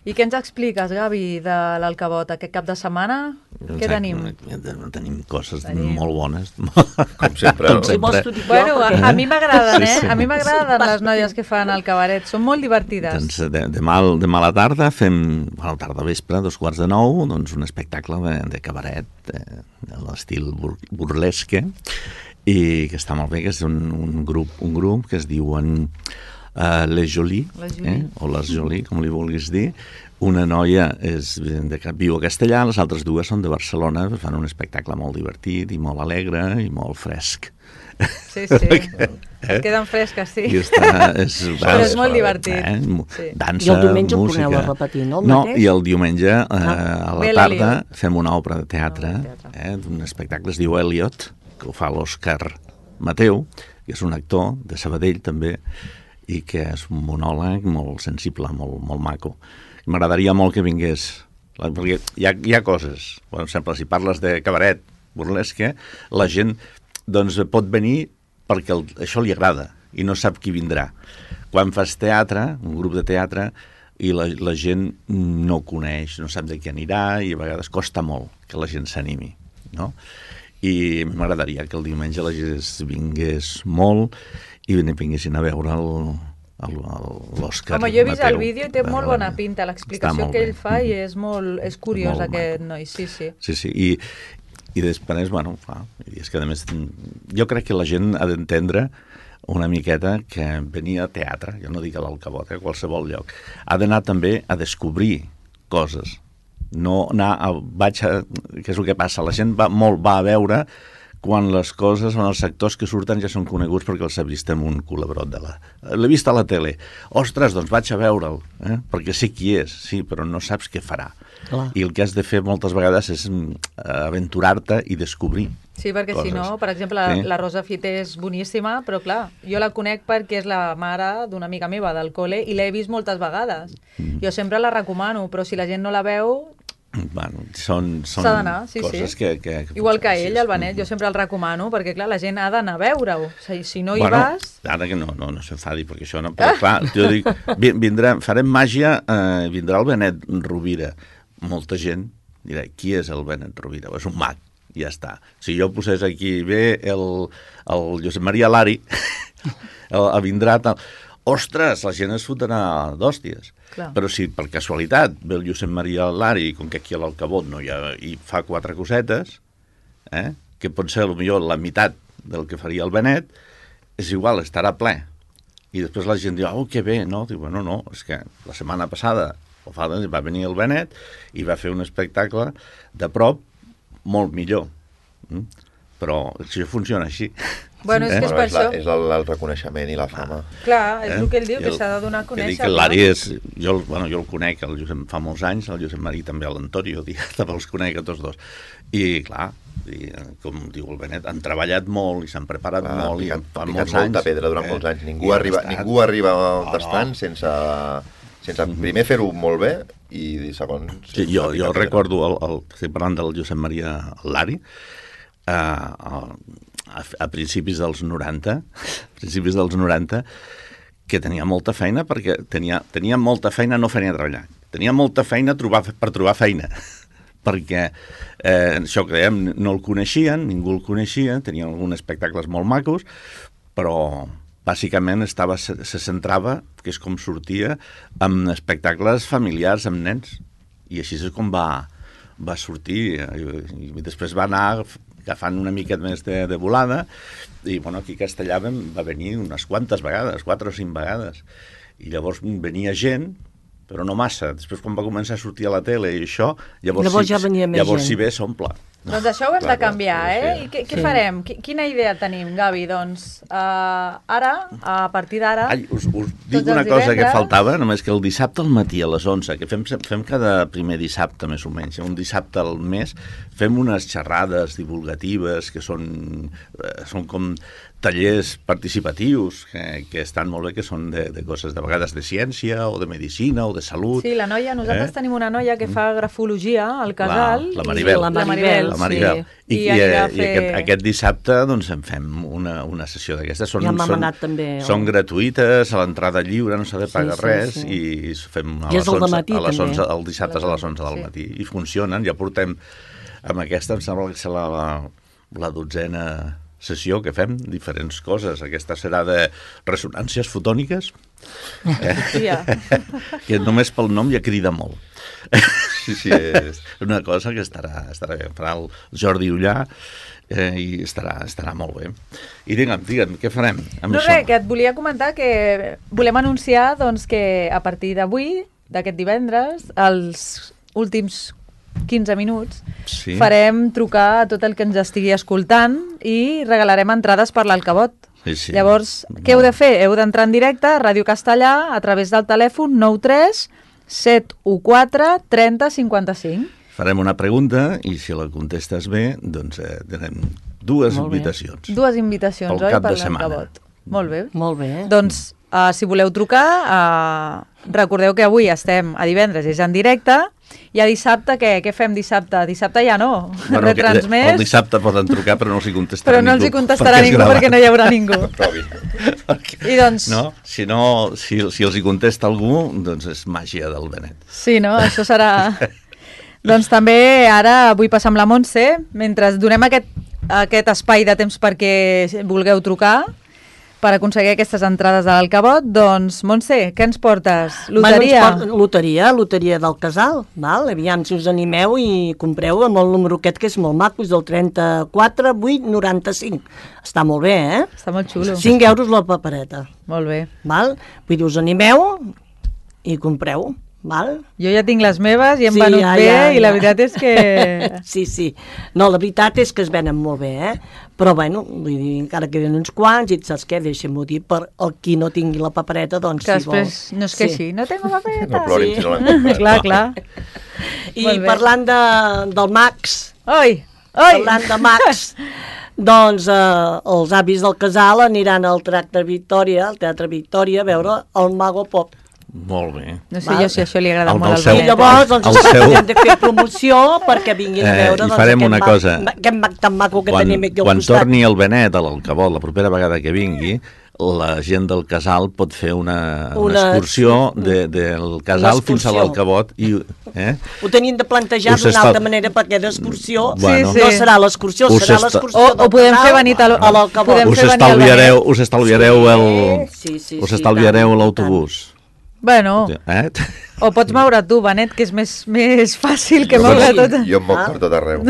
I què ens expliques, Gavi, de l'Alcabot aquest cap de setmana? Què tenim? Tenim coses tenim. molt bones. Com sempre, no? sempre. Bueno, a, a mi m'agraden, eh? Sí, sí. A mi m'agraden les noies que fan el cabaret. Són molt divertides. Doncs de, demà, demà a la tarda fem, a la tarda vespre, dos quarts de nou, doncs un espectacle de, de cabaret, de, de l'estil bur, burlesque, i que està molt bé, que és un, un, grup, un grup que es diuen uh, Les Jolie, Les Jolie. eh? o Les Jolie, com li vulguis dir. Una noia és de, viu a Castellà, les altres dues són de Barcelona, fan un espectacle molt divertit i molt alegre i molt fresc. Sí, sí. Eh? Es queden fresques, sí. I està, és, Però és molt divertit. Eh? Sí. Dansa, I el diumenge ho música. torneu a repetir, no? El No, mateix? i el diumenge eh, a la Ve tarda l'Eliot. fem una obra de teatre, Una obra de teatre. eh, d'un espectacle, es diu Eliot, que ho fa l'Òscar Mateu, que és un actor de Sabadell també, i que és un monòleg molt sensible, molt, molt maco. M'agradaria molt que vingués, perquè hi ha, hi ha coses, per exemple, si parles de cabaret, burlesque, la gent doncs, pot venir perquè el, això li agrada i no sap qui vindrà. Quan fas teatre, un grup de teatre, i la, la gent no ho coneix, no sap de què anirà, i a vegades costa molt que la gent s'animi, no? I m'agradaria que el diumenge la gent vingués molt i vinguessin a veure el, l'Òscar Home, jo he vist Mateu. el vídeo i té molt bona pinta l'explicació que ell fa i és molt és curiós Molt aquest maco. noi, sí, sí. Sí, sí, i, i després, bueno, clar, i és que a més, jo crec que la gent ha d'entendre una miqueta que venir a teatre, jo no dic a l'Alcabot, a qualsevol lloc, ha d'anar també a descobrir coses, no anar a, vaig a, què és el que passa, la gent va, molt va a veure quan les coses, on els sectors que surten ja són coneguts perquè els ha vist en un culebrot de la... L'he vist a la tele. Ostres, doncs vaig a veure'l, eh? perquè sé qui és, sí, però no saps què farà. Clar. I el que has de fer moltes vegades és aventurar-te i descobrir. Sí, perquè coses. si no, per exemple, la, Sí. la Rosa Fite és boníssima, però clar, jo la conec perquè és la mare d'una amiga meva del col·le i l'he vist moltes vegades. Mm. Jo sempre la recomano, però si la gent no la veu, Bueno, són, són s'ha d'anar, sí, coses sí. que, que, que... Igual que sí, ell, és- el Benet, jo sempre el recomano, perquè clar, la gent ha d'anar a veure-ho. O sigui, si no hi bueno, vas... Ara que no, no, no s'enfadi, perquè això no... Però clar, jo dic, vi- vindrà, farem màgia, eh, vindrà el Benet Rovira. Molta gent dirà, qui és el Benet Rovira? És un mag, i ja està. Si jo posés aquí, ve el, el Josep Maria Lari, el, el vindrà tal... Ostres, la gent es fotrà d'hòsties. Clar. Però si per casualitat ve el Josep Maria Lari, com que aquí a l'Alcabot no hi ha, i fa quatre cosetes, eh, que pot ser potser la meitat del que faria el Benet, és igual, estarà ple. I després la gent diu, oh, que bé, no? Diu, bueno, no, és que la setmana passada o fa, va venir el Benet i va fer un espectacle de prop molt millor. Mm? Però això funciona així. Bueno, és que és Bueno, per és, la, això... és el, el reconeixement i la fama. Clar, és Eh? el que ell diu, I que el- s'ha de donar a que dic conèixer. que l'Ari és... Jo, el- bueno, jo el conec, el Josep, fa molts anys, el Josep Marí també, l'Antonio, també els conec a tots dos. I, clar, i, com diu el Benet, han treballat molt i s'han preparat Va, molt i picat, fan picat molts molta anys. pedra durant eh? molts anys. I Ningú han arriba, estat- ningú arriba No, tastant no. sense, sense primer fer-ho molt bé i segons... Sí, jo, picar jo pedra. recordo, el, el, estic parlant del Josep Maria Lari, a, a, a principis dels noranta, a principis dels noranta, que tenia molta feina, perquè tenia, tenia molta feina, no feina a treballar, tenia molta feina trobar, per trobar feina, perquè eh, això que dèiem, no el coneixien, ningú el coneixia, tenia alguns espectacles molt macos, però bàsicament estava, se, se centrava, que és com sortia, amb espectacles familiars, amb nens, i així és com va, va sortir, i, i després va anar agafant una miqueta més de, de volada, i bueno, aquí a Castellà vam, va venir unes quantes vegades, quatre o cinc vegades, i llavors venia gent, però no massa. Després, quan va començar a sortir a la tele i això, llavors, Llavors sí, ja venia més llavors gent. si ve s'omple. Doncs això ho hem Clar, de canviar, clar, eh? sí. I què, què Sí. farem? Qui- Quina idea tenim, Gavi? Doncs uh, ara, a partir d'ara... Ai, us, us dic Tots una els cosa que divendres. faltava, només que el dissabte al matí a les onze, que fem, fem cada primer dissabte més o menys, un dissabte al mes, fem unes xerrades divulgatives que són, eh, són com tallers participatius que, que estan molt bé, que són de, de coses de vegades de ciència o de medicina o de salut. Sí, la noia, nosaltres Eh? tenim una noia que fa grafologia al casal. La- la i- Maribel. La Maribel, La Maribel. sí. I, I, i, anirà a i fer... aquest, aquest dissabte doncs, en fem una, una sessió d'aquestes. Són, Ja m'ha són, manat també, el- són gratuïtes, a l'entrada lliure, no s'ha de Sí, pagar sí, res, sí. i fem a I és les al onze, dematí, a les també. onze, el dissabte a les onze del Sí. matí. I funcionen, ja portem amb aquesta, em sembla que serà la, la dotzena sessió que fem, diferents coses. Aquesta serà de ressonàncies fotòniques, Hòstia. que només pel nom ja crida molt. Sí, sí, és... Una cosa que estarà, estarà bé. Farà el Jordi Ullà eh, i estarà, estarà molt bé. I digue'm, digue'm, què farem amb No això? res, que et volia comentar que volem anunciar doncs, que a partir d'avui, d'aquest divendres, els últims quinze minuts, Sí. farem trucar a tot el que ens estigui escoltant i regalarem entrades per l'Alcabot. Sí, sí. Llavors, què heu de fer? Heu d'entrar en directe a Ràdio Castellà a través del telèfon nou tres set u quatre trenta cinquanta-cinc. Farem una pregunta i si la contestes bé, doncs eh, tenem dues Molt bé. invitacions. Dues invitacions, Pel oi? cap Per de setmana. l'Alcabot. Molt bé. Molt bé. Doncs, uh, si voleu trucar, uh, recordeu que avui estem a divendres, és en directe, i a dissabte, què? Què fem dissabte? Dissabte ja no, Bueno, retransmès, el dissabte poden trucar però no els hi contestarà però no els ningú. hi contestarà perquè és ningú gravat. perquè no hi haurà ningú. Provi. Perquè- I doncs, No? Si, no, si, si els hi contesta algú, doncs és màgia del Benet. sí, no? Això serà... Doncs també ara vull passar amb la Montse, mentre donem aquest, aquest espai de temps perquè vulgueu trucar, per aconseguir aquestes entrades de l'Alcabot, doncs, Montse, què ens portes? Loteria? Bueno, ens porten loteria, loteria del casal, val? Aviam si us animeu i compreu amb el número aquest que és molt maco, és del trenta-quatre vuit noranta-cinc. Està molt bé, eh? Està molt xulo. cinc euros la papereta, Molt bé. val? Vull dir, us animeu i compreu, val? Jo ja tinc les meves i hem Sí, venut ja, bé ja, i la ja. veritat és que... Sí, sí. No, la veritat és que es venen molt bé, eh? Però, bueno, vull dir, encara queden uns quants i saps què? Deixem-ho dir, per el qui no tingui la papereta, doncs, que si vol. després no es queixi. No tengo papereta. No plorin Sí. si no l'han comprat. Clar, clar. I Molt bé. parlant de, del Max, Oi, oi! parlant de Max, doncs eh, els avis del casal aniran al Teatre Victòria, al Teatre Victòria, a veure el Mago Pop. Molt bé. No sé Val. jo si això li agrada El molt del al seu- I Benet. llavors, doncs, El seu- hem de fer promoció perquè vinguin a Eh, veure i doncs, farem aquest una mag- cosa. aquest mag tan maco que Quan, tenim aquí al quan costat. torni el Benet a l'Alcabot, la propera vegada que vingui, la gent del casal pot fer una, una, Una- excursió de, del casal Una fins a excursió. l'Alcabot. I, eh? Ho tenien de plantejar Us d'una està- altra manera perquè d'excursió Bueno. Sí, no sí. serà l'excursió, Us serà està- l'excursió O- o del podem casal fer venir a l- a l'Alcabot. podem Us fer venir al estalviareu, Benet. us estalviareu el, Sí, sí, us sí, estalviareu tant, l'autobús. Bueno, Eh? o pots moure tu, Benet, que és més, més fàcil que Jo moure em- tot. Jo em moc Ah. per tot arreu.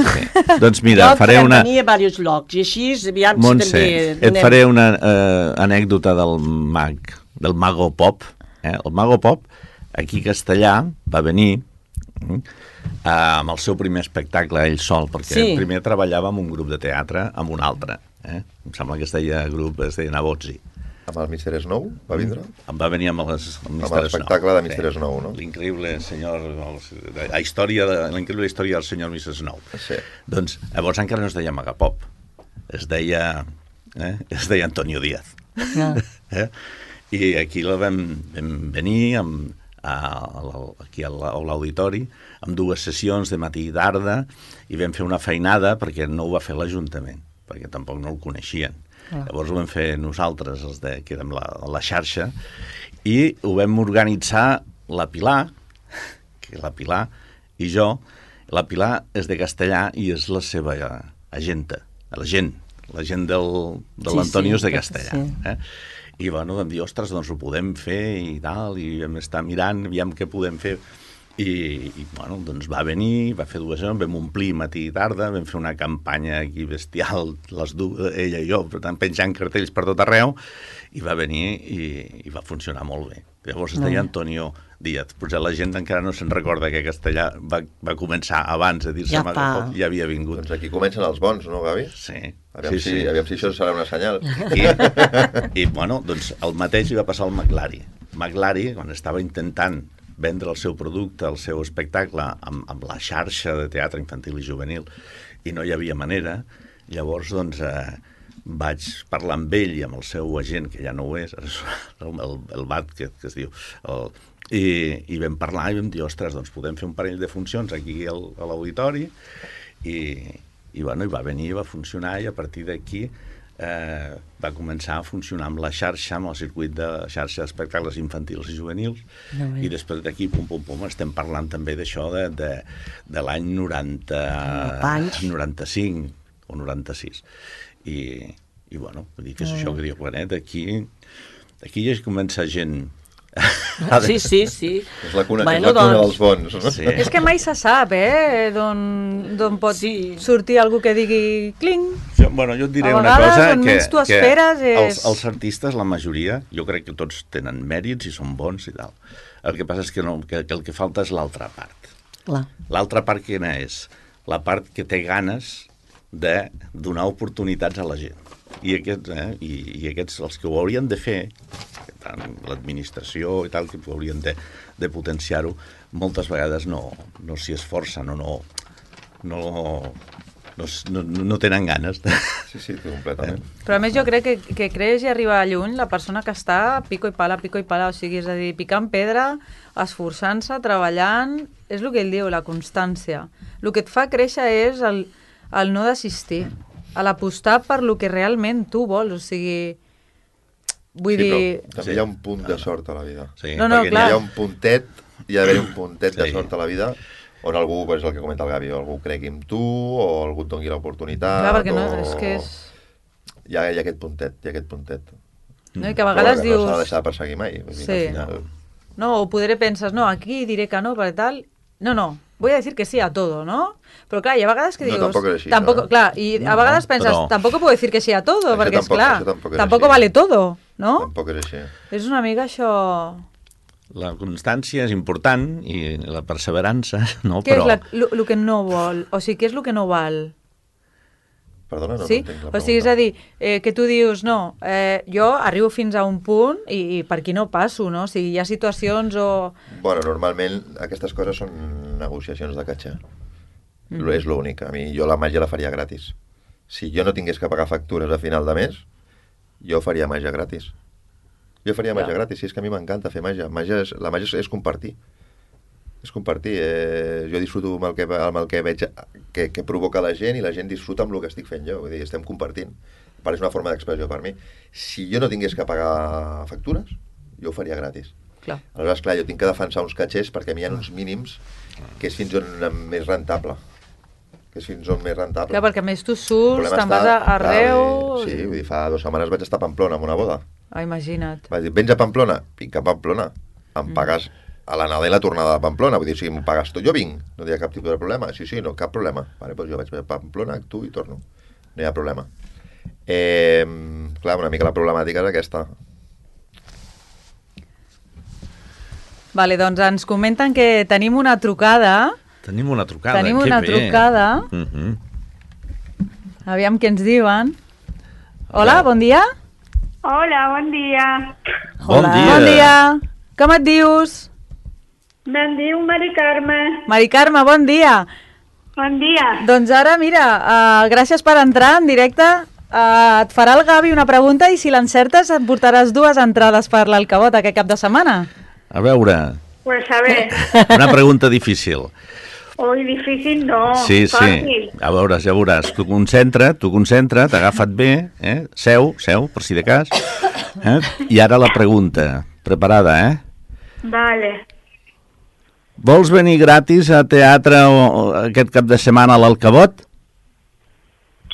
Doncs mira, No, faré podem una... venir a diversos llocs i així, aviam si Montse, també... et faré una eh, anècdota del mag, del Mago Pop. Eh? El Mago Pop, aquí a Castellà, va venir eh, amb el seu primer espectacle ell sol, perquè Sí. primer treballava amb un grup de teatre, amb un altre. Eh? Em sembla que es deia grup, es deia Nabotzi. Amb el mister Snow va vindre? Em va venir amb, les, amb, Amb l'espectacle de mister Snow, no? L'increïble senyor... El, la història de, la increïble història del senyor mister Snow. Sí. Doncs llavors encara no es deia Magapop. Es deia... Eh? Es deia Antonio Díaz. Ah. Eh? I aquí la vam, vam venir amb, a, a, aquí a l'auditori amb dues sessions de matí i tarda i vam fer una feinada perquè no ho va fer l'Ajuntament, perquè tampoc no el coneixien. Ah. Llavors ho vam fer nosaltres, els de, que érem la, la xarxa, i ho vam organitzar la Pilar, que la Pilar i jo. La Pilar és de Castellà i és la seva agenta, la gent, la gent del, de Sí, l'Antonio sí, és de perquè Castellà. sí. Eh? I bueno, vam dir, ostres, doncs ho podem fer i tal, i vam estar mirant, aviam què podem fer. I, i bueno, doncs va venir, va fer dues hores, vam omplir matí i tarda, vam fer una campanya aquí bestial, les dues, ella i jo, per tant, penjant cartells per tot arreu, i va venir i, i va funcionar molt bé. Llavors es deia Antonio Díaz. Potser la gent encara no se'n recorda que Castellà va, va començar abans de dir-se Ja Mago fa. Pop, ja havia vingut. Doncs aquí comencen els bons, no, Gavi? Sí, Aviam, sí, si, sí. aviam si això serà una senyal. I, i bueno, doncs el mateix li va passar al Maglari. Maglari, quan estava intentant vendre el seu producte, el seu espectacle amb, amb la xarxa de teatre infantil i juvenil, i no hi havia manera, llavors doncs eh, vaig parlar amb ell i amb el seu agent, que ja no ho és, el, el, el B A T, que, que es diu, el, i, i vam parlar i vam dir, ostres, doncs podem fer un parell de funcions aquí al, a l'auditori, i, i, bueno, i va venir, va funcionar, i a partir d'aquí eh, va començar a funcionar amb la xarxa, amb el circuit de xarxa d'espectacles infantils i juvenils, No, bé. i després d'aquí, pum, pum, pum, estem parlant també d'això de, de, de l'any noranta, Panys. noranta-cinc o noranta-sis. I, i bueno, vull dir que és això que diu Benet, aquí, aquí ja comença gent Sí, sí, sí. És la cuna, Bueno, és la cuna doncs, dels bons. No? Sí. És que mai se sap, eh, d'on d'on pot Sí. sortir algú que digui cling. Jo, bueno, jo et diré A una vegades, cosa, on que, menys tu que esperes és- els, els artistes, la majoria, jo crec que tots tenen mèrits i són bons i tal. El que passa és que, no, que, que el que falta és l'altra part. Clar. L'altra part quina és? La part que té ganes de donar oportunitats a la gent. I aquests, eh, i, i aquests els que ho haurien de fer, tant l'administració i tal, que ho haurien de, de potenciar-ho, moltes vegades no, no s'hi esforcen o no, no, no, no, no tenen ganes. De... Sí, sí, completament. Però a més jo crec que, que creix i arriba lluny la persona que està pico i pala, pico i pala, o sigui, és a dir, picant pedra, esforçant-se, treballant, és el que ell diu, la constància. El que et fa créixer és el, el no desistir, a l'apostar per lo que realment tu vols, o sigui, vull Sí, dir... però també hi ha un punt de sort a la vida. Sí. No, no, Perquè clar. hi ha un puntet, hi ha d'haver un puntet de Sí. sort a la vida on algú, és el que comenta el Gavi, o algú cregui en tu, o algú et doni l'oportunitat, Clar, perquè no, o... és que és... Hi ha, hi ha aquest puntet, hi ha aquest puntet. No? I que a Però vegades que dius... no s'ha de deixar de perseguir mai. Vull dir, Sí. al final... No, o podré penses, no, aquí diré que no, per tal... No, no, voy a decir que sí a todo, ¿no? Però clar, hi ha vegades que No, dius... tampoc és així, tampoco, no? clar, i a No, vegades penses, però- tampoco puedo decir que sí a todo, Això perquè, tampoc- esclar, això tampoc és tampoco així. vale todo, no? Tampoc és així. És una mica això... La constància és important i la perseverança, no? Què Però... és el que no vol? O sigui, què és el que no val? Perdona, no, Sí? no entenc la O pregunta. sigui, és a dir, eh, que tu dius, no, eh, jo arribo fins a un punt i, i per aquí no passo, no? O sigui, hi ha situacions o... Bueno, normalment aquestes coses són negociacions de catxa. Mm. És l'únic. A mi, jo la màgia la faria gratis. Si jo no tingués que pagar factures a final de mes, jo faria màgia gratis. Jo faria màgia gratis, sí, és que a mi m'encanta fer màgia. màgia és, la màgia és, és compartir. És compartir. Eh, jo disfruto amb el que, amb el que veig que, que provoca la gent i la gent disfruta amb el que estic fent jo. Vull dir, estem compartint. Per és una forma d'expressió per mi. Si jo no tingués que pagar factures, jo ho faria gratis. Clar. Aleshores, clar, jo tinc que defensar uns catxers perquè a mi hi ha uns mínims que és fins on més rentable. Que és fins on més rentable. Clar, perquè a més tu El surts, problema te'n està- vas a clar, arreu... vull dir, sí, vull dir, fa dues setmanes vaig estar a Pamplona amb una boda. Ah, imagina't. Vaig dir, vens a Pamplona? Vinc a Pamplona. Em pagues a l'anada i la tornada de Pamplona. Vull dir, si m'ho pagues tot, jo vinc. No hi ha cap tipus de problema. Sí, sí, no, cap problema. Vale, doncs jo vaig a Pamplona, actuo i torno. No hi ha problema. Eh, clar, una mica la problemàtica és aquesta. Vale, doncs ens comenten que tenim una trucada. Tenim una trucada. Tenim que una bé. trucada. Uh -huh. Aviam què ens diuen. Hola, bon dia. Hola, bon dia. Bon Hola. dia. Bon dia. Com et dius? Me'n diu Mari Carme. Mari Carme, bon dia. Bon dia. Doncs ara, mira, uh, gràcies per entrar en directe. Uh, et farà el Gavi una pregunta i si l'encertes et portaràs dues entrades per l'Alcabot aquest cap de setmana. A veure, Pues a ver, una pregunta difícil. hoy difícil no, Sí, sí. fácil. A veure, ja veuràs. Tu concentra, tu concentra, t'agafa't bé, eh? Seu, seu, per si de cas. Eh? I ara la pregunta. Preparada, eh? Vale. Vols venir gratis a teatre o, o aquest cap de setmana a l'Alcabot?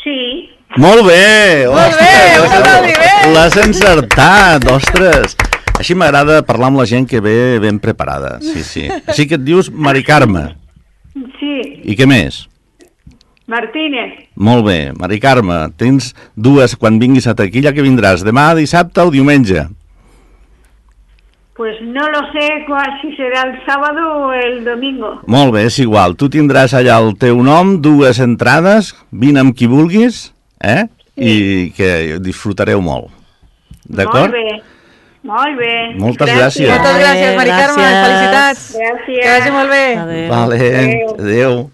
Sí. Molt bé! Molt bé, un aplaudiment! L'has encertat, ostres! Així m'agrada parlar amb la gent que ve ben preparada, sí, sí. Així que et dius Mari Carme. Sí. I què més? Martínez. Molt bé, Mari Carme, tens dues quan vinguis a taquilla que vindràs, demà, dissabte o diumenge? Pues no lo sé cuál, si será el sábado o el domingo. Molt bé, és igual, tu tindràs allà el teu nom, dues entrades, vine amb qui vulguis, eh? I que disfrutareu molt. D'acord? Molt bé. Molt bé. Moltes gràcies. Moltes gràcies, Mari Carme, Gràcies. felicitats. Gràcies. Que vagi molt bé. Adéu. Vale, Adéu. adéu.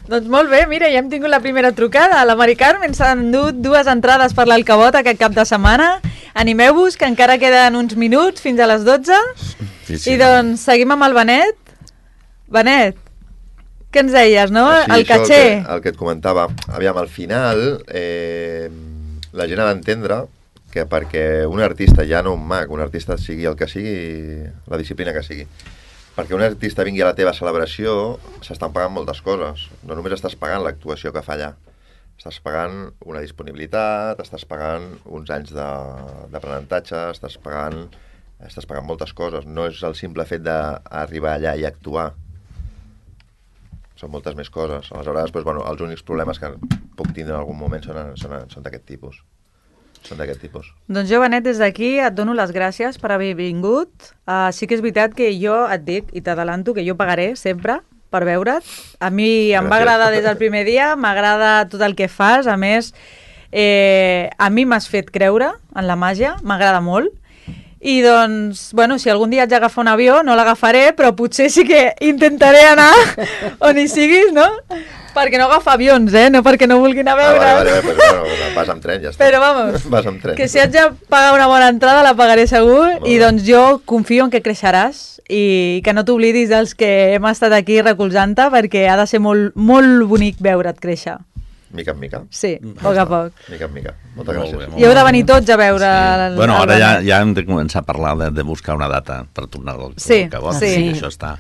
Doncs molt bé, mira, ja hem tingut la primera trucada. La Mari Carme ens ha endut dues entrades per l'Alcabot aquest cap de setmana. Animeu-vos, que encara queden uns minuts fins a les dotze. Sí, sí. I doncs seguim amb el Benet. Benet, què ens deies, no? Sí, el això caché. El que, el que et comentava. Aviam, al final, eh, la gent ha d'entendre que perquè un artista, ja no un mag, un artista sigui el que sigui, la disciplina que sigui, perquè un artista vingui a la teva celebració, s'estan pagant moltes coses. No només estàs pagant l'actuació que fa allà. Estàs pagant una disponibilitat, estàs pagant uns anys de- d'aprenentatge, estàs pagant, estàs pagant moltes coses. No és el simple fet d'arribar allà i actuar. Són moltes més coses. Aleshores, doncs, bueno, els únics problemes que puc tindre en algun moment són, són, són d'aquest tipus. Són d'aquest tipus. Doncs jo, Benet, des d'aquí et dono les gràcies per haver vingut. Uh, sí que és veritat que jo et dic, i t'adelanto, que jo pagaré sempre per veure't. A mi em va Gràcies. agradar des del primer dia, m'agrada tot el que fas. A més, eh, a mi m'has fet creure en la màgia, m'agrada molt. I doncs, bueno, si algun dia haig d'agafar un avió, no l'agafaré, però potser sí que intentaré anar on hi siguis, no? Perquè no agafa avions, eh? No perquè no vulguin anar a Ah, veure. vale, vale, pues, bueno, vas amb tren, ja està. Però vamos, Vas amb tren. que si haig de pagar una bona entrada la pagaré segur. Molt I bé. doncs jo confio en que creixeràs i que no t'oblidis dels que hem estat aquí recolzant-te, perquè ha de ser molt, molt bonic veure't créixer. Mica en mica. Sí, a poc a poc. Mica en mica. Moltes Molt gràcies. bé, molt I heu de venir tots a veure... Sí. el- Bueno, el ara ja, Benet. ja hem de començar a parlar de, de buscar una data per tornar al Sí, al Cabot. sí. Això està...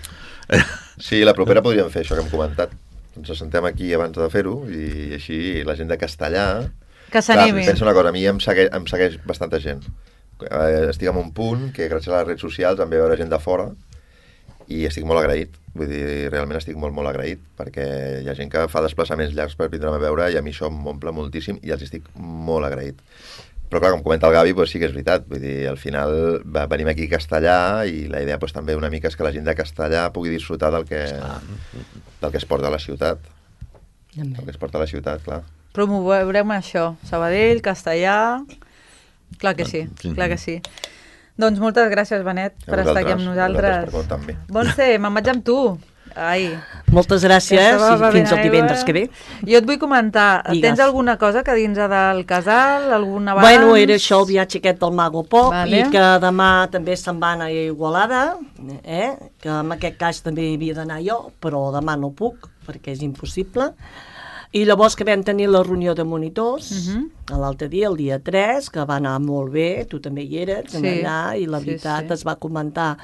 Sí, la propera podríem fer això que hem comentat. Ens assentem aquí abans de fer-ho i així la gent de Castellà... Que s'animi. Clar, pensa una cosa, a mi em segueix, em segueix bastanta gent. Eh, estic en un punt que gràcies a les redes socials em ve a veure gent de fora i estic molt agraït. Vull dir, realment estic molt, molt agraït perquè hi ha gent que fa desplaçaments llargs per vindre'm a veure i a mi això m'omple moltíssim i els estic molt agraït. Però clar, com comenta el Gavi, doncs sí que és veritat. Vull dir, al final va, venim aquí a Castellà i la idea doncs, també una mica és que la gent de Castellà pugui disfrutar del que, del que es porta a la ciutat. Del que es porta a la ciutat, clar. Promourem això. Sabadell, Castellà... Clar que sí, Sí. clar que sí. Doncs moltes gràcies, Benet, A per estar aquí amb vosaltres, nosaltres. a vosaltres per comptar amb mi. Montse, me'n vaig amb tu. Ai, Moltes gràcies Estava i bevent fins el aigua. divendres que ve. Jo et vull comentar, Digues. tens alguna cosa que dins del casal, algun abans? Bueno, era això el viatge aquest del Mago Pop Vale. i que demà també se'n van a Igualada, eh? Que en aquest cas també hi havia d'anar jo, però demà no puc perquè és impossible. I llavors que vam tenir la reunió de monitors, Mhm. l'altre dia, el dia tres, que va anar molt bé, tu també hi eres, Sí. allà, i la Sí, veritat sí. es va comentar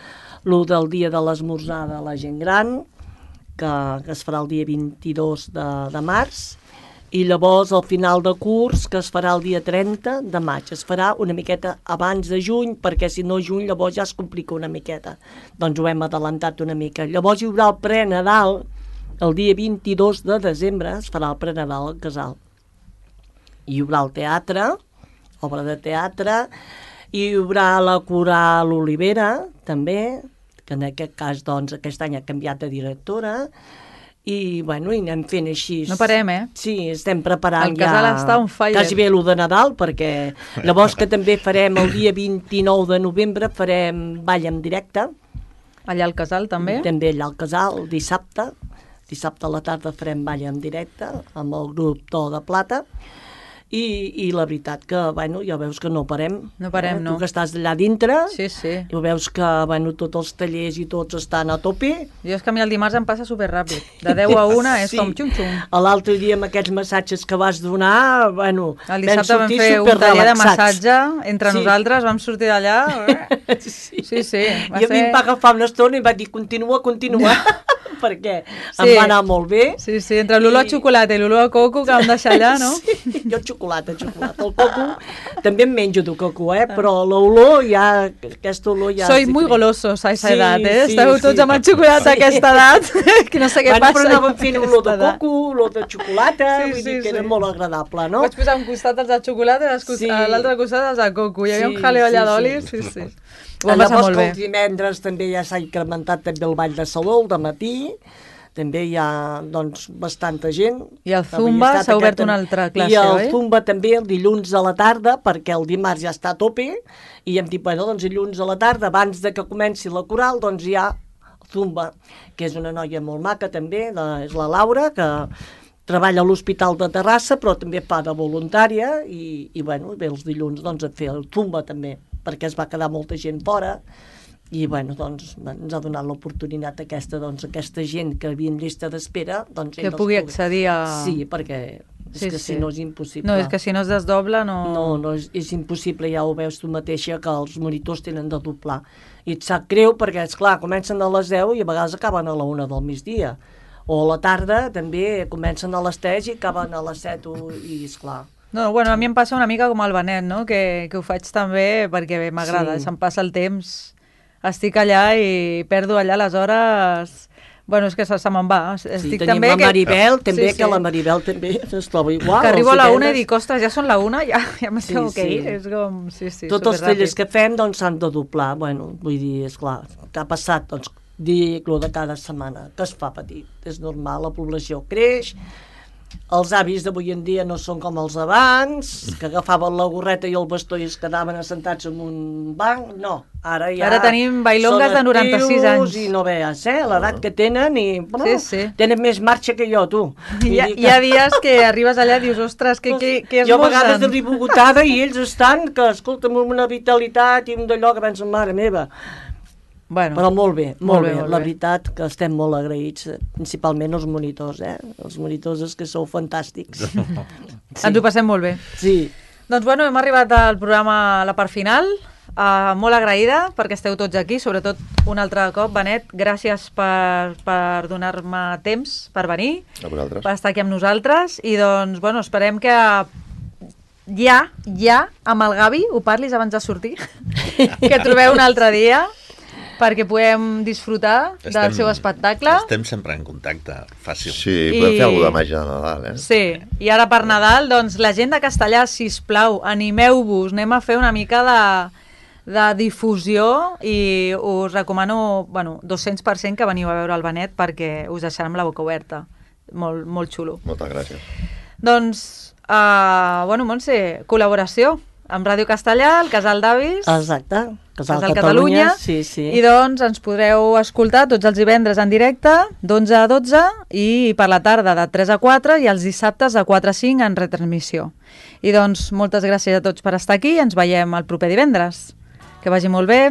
lo del dia de l'esmorzar de la gent gran, que, que es farà el dia vint-i-dos de, de març, i llavors al final de curs, que es farà el dia trenta de maig. Es farà una miqueta abans de juny, perquè si no juny llavors ja es complica una miqueta. Doncs ho hem adelantat una mica. Llavors hi haurà el pre-Nadal, el dia vint-i-dos de desembre es farà el pre-Nadal al casal. Hi haurà el teatre, obra de teatre, hi haurà la coral Olivera, també, que en aquest cas, doncs, aquest any ha canviat de directora, i, bueno, i anem fent així. No parem, eh? Sí, estem preparant El casal ja... està on fire. Quasi bé l'u de Nadal, perquè llavors que també farem el dia vint-i-nou de novembre, farem ball en directe. Allà al casal, també? També allà al casal, dissabte. Dissabte a la tarda farem ball en directe amb el grup To de Plata. I, i la veritat que, bueno, ja veus que no parem. No parem, eh? no. Tu que estàs allà dintre, Sí, sí. ja veus que, bueno, tots els tallers i tots estan a tope. Jo és que a mi el dimarts em passa superràpid. De deu a una és Sí. com xum-xum. L'altre dia amb aquests massatges que vas donar, bueno, El dissabte vam sortir fer un taller de superrelaxats. massatge entre Sí. nosaltres, vam sortir d'allà... eh? Sí, Sí, sí, va I a mi ser- em va agafar una estona i va dir, continua, continua, perquè Sí. em va anar molt bé. Sí, sí, entre l'olor a I- xocolata i l'olor a coco que vam deixar allà, no? Sí, jo xocolata, xocolata. El coco, també em menjo de coco, eh? Però l'olor ja, aquesta olor ja... Soy és muy diferent. golosos a esa Sí, edat, eh? sí, Esteu sí. tots amb el xocolata a aquesta edat, que no sé què Bueno, passa. però anàvem fent amb olor de aquesta edat. coco, olor de xocolata, Sí, vull sí, dir que era sí. molt agradable, no? Vaig posar un costat els de xocolata i els cos- Sí. a l'altre costat els de coco. Hi havia Sí, un jaleo allà sí, d'oli, sí. sí, sí. Ho vam passar Llavors molt que bé. els divendres també ja s'ha incrementat també el ball de saló, al matí, també hi ha, doncs, bastanta gent. I el Avui Zumba ha estat s'ha obert aquest- una altra classe, I el oi? Zumba també el dilluns a la tarda, perquè el dimarts ja està a tope, i hem dit, bueno, doncs dilluns a la tarda, abans de que comenci la coral, doncs hi ha Zumba, que és una noia molt maca també, de, és la Laura, que treballa a l'Hospital de Terrassa, però també fa de voluntària, i, i bueno, ve els dilluns doncs, a fer el Zumba també, perquè es va quedar molta gent fora, i bueno, doncs ens ha donat l'oportunitat aquesta, doncs aquesta gent que havia en llista d'espera, doncs Que ells pugui pugui- accedir a... Sí, perquè és Sí, que sí. si no és impossible. No, és que si no es desdobla no... No, no, és, és impossible, ja ho veus tu mateixa, que els monitors tenen de doblar. I et sap greu perquè, és clar, comencen a les deu i a vegades acaben a la una del migdia. O a la tarda també comencen a les tres i acaben a les set i esclar. No, bueno, a mi em passa una mica com el Benet, no? Que, que ho faig també perquè m'agrada, Sí. se'm passa el temps, estic allà i perdo allà les hores... Bueno, és que se, se me'n va. Sí, Estic tenim també la Maribel, que... també, sí, sí. que la Maribel també es troba igual. Que arribo a els la una i divendres. dic, ostres, ja són la una, ja, ja me Sí, tengo que sí. ir. És com, sí, sí, Tots els superràpid. tallers que fem doncs s'han de doblar, bueno, vull dir, esclar, que ha passat, doncs, dir lo de cada setmana, que es fa petit, és normal, la població creix, els avis d'avui en dia no són com els d'abans, que agafaven la gorreta i el bastó i es quedaven assentats en un banc, no, ara ja... Ara tenim bailongues són de noranta-sis actius anys. I no veus, eh, l'edat que tenen i... Bueno, Sí, sí. tenen més marxa que jo, tu. Hi ha, hi ha dies que arribes allà i dius, ostres, que, que, que Jo a vegades esmorzen. arribo agotada i ells estan, que escolta'm, amb una vitalitat i un d'allò que pensen, mare meva. Bueno, Però molt bé, molt, molt bé, bé, molt la bé. veritat que estem molt agraïts, eh, principalment els monitors, eh? Els monitors és que sou fantàstics. ens ho passem molt bé. Sí, Doncs bueno, hem arribat al programa a la part final. Uh, molt agraïda perquè esteu tots aquí, sobretot un altre cop, Benet, gràcies per, per donar-me temps per venir, A vosaltres. per estar aquí amb nosaltres, i doncs, bueno, esperem que ja, ja, amb el Gavi, ho parlis abans de sortir, que trobeu un altre dia, perquè puguem disfrutar del seu espectacle. Estem sempre en contacte, fàcil. Sí, podem I- fer alguna de màgia de Nadal, eh? Sí, i ara per Nadal, doncs, la gent de Castellà, sisplau, animeu-vos, anem a fer una mica de, de difusió i us recomano, bueno, dos-cents per cent que veniu a veure el Benet perquè us deixarem la boca oberta. Molt, molt xulo. Moltes gràcies. Doncs, uh, bueno, Montse, col·laboració amb Ràdio Castellà, el Casal d'Avis, exacte. Casal, Casal Catalunya, Catalunya, sí, sí. i doncs ens podreu escoltar tots els divendres en directe, d'onze a dotze, i per la tarda de tres a quatre, i els dissabtes de quatre a cinc en retransmissió. I doncs moltes gràcies a tots per estar aquí, ens veiem el proper divendres. Que vagi molt bé.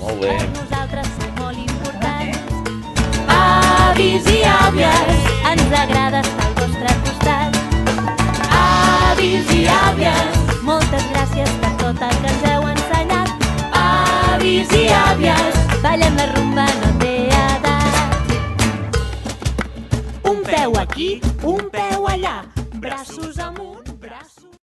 Molt bé. Per nosaltres sou molt importants. Avis i àvies, ens agrada estar al vostre costat. Avis i àvies, moltes gràcies per tot el que ens heu ensenyat. Avis i àvies, ballem la rumba, no té edat. Un peu aquí, un peu allà, braços amunt.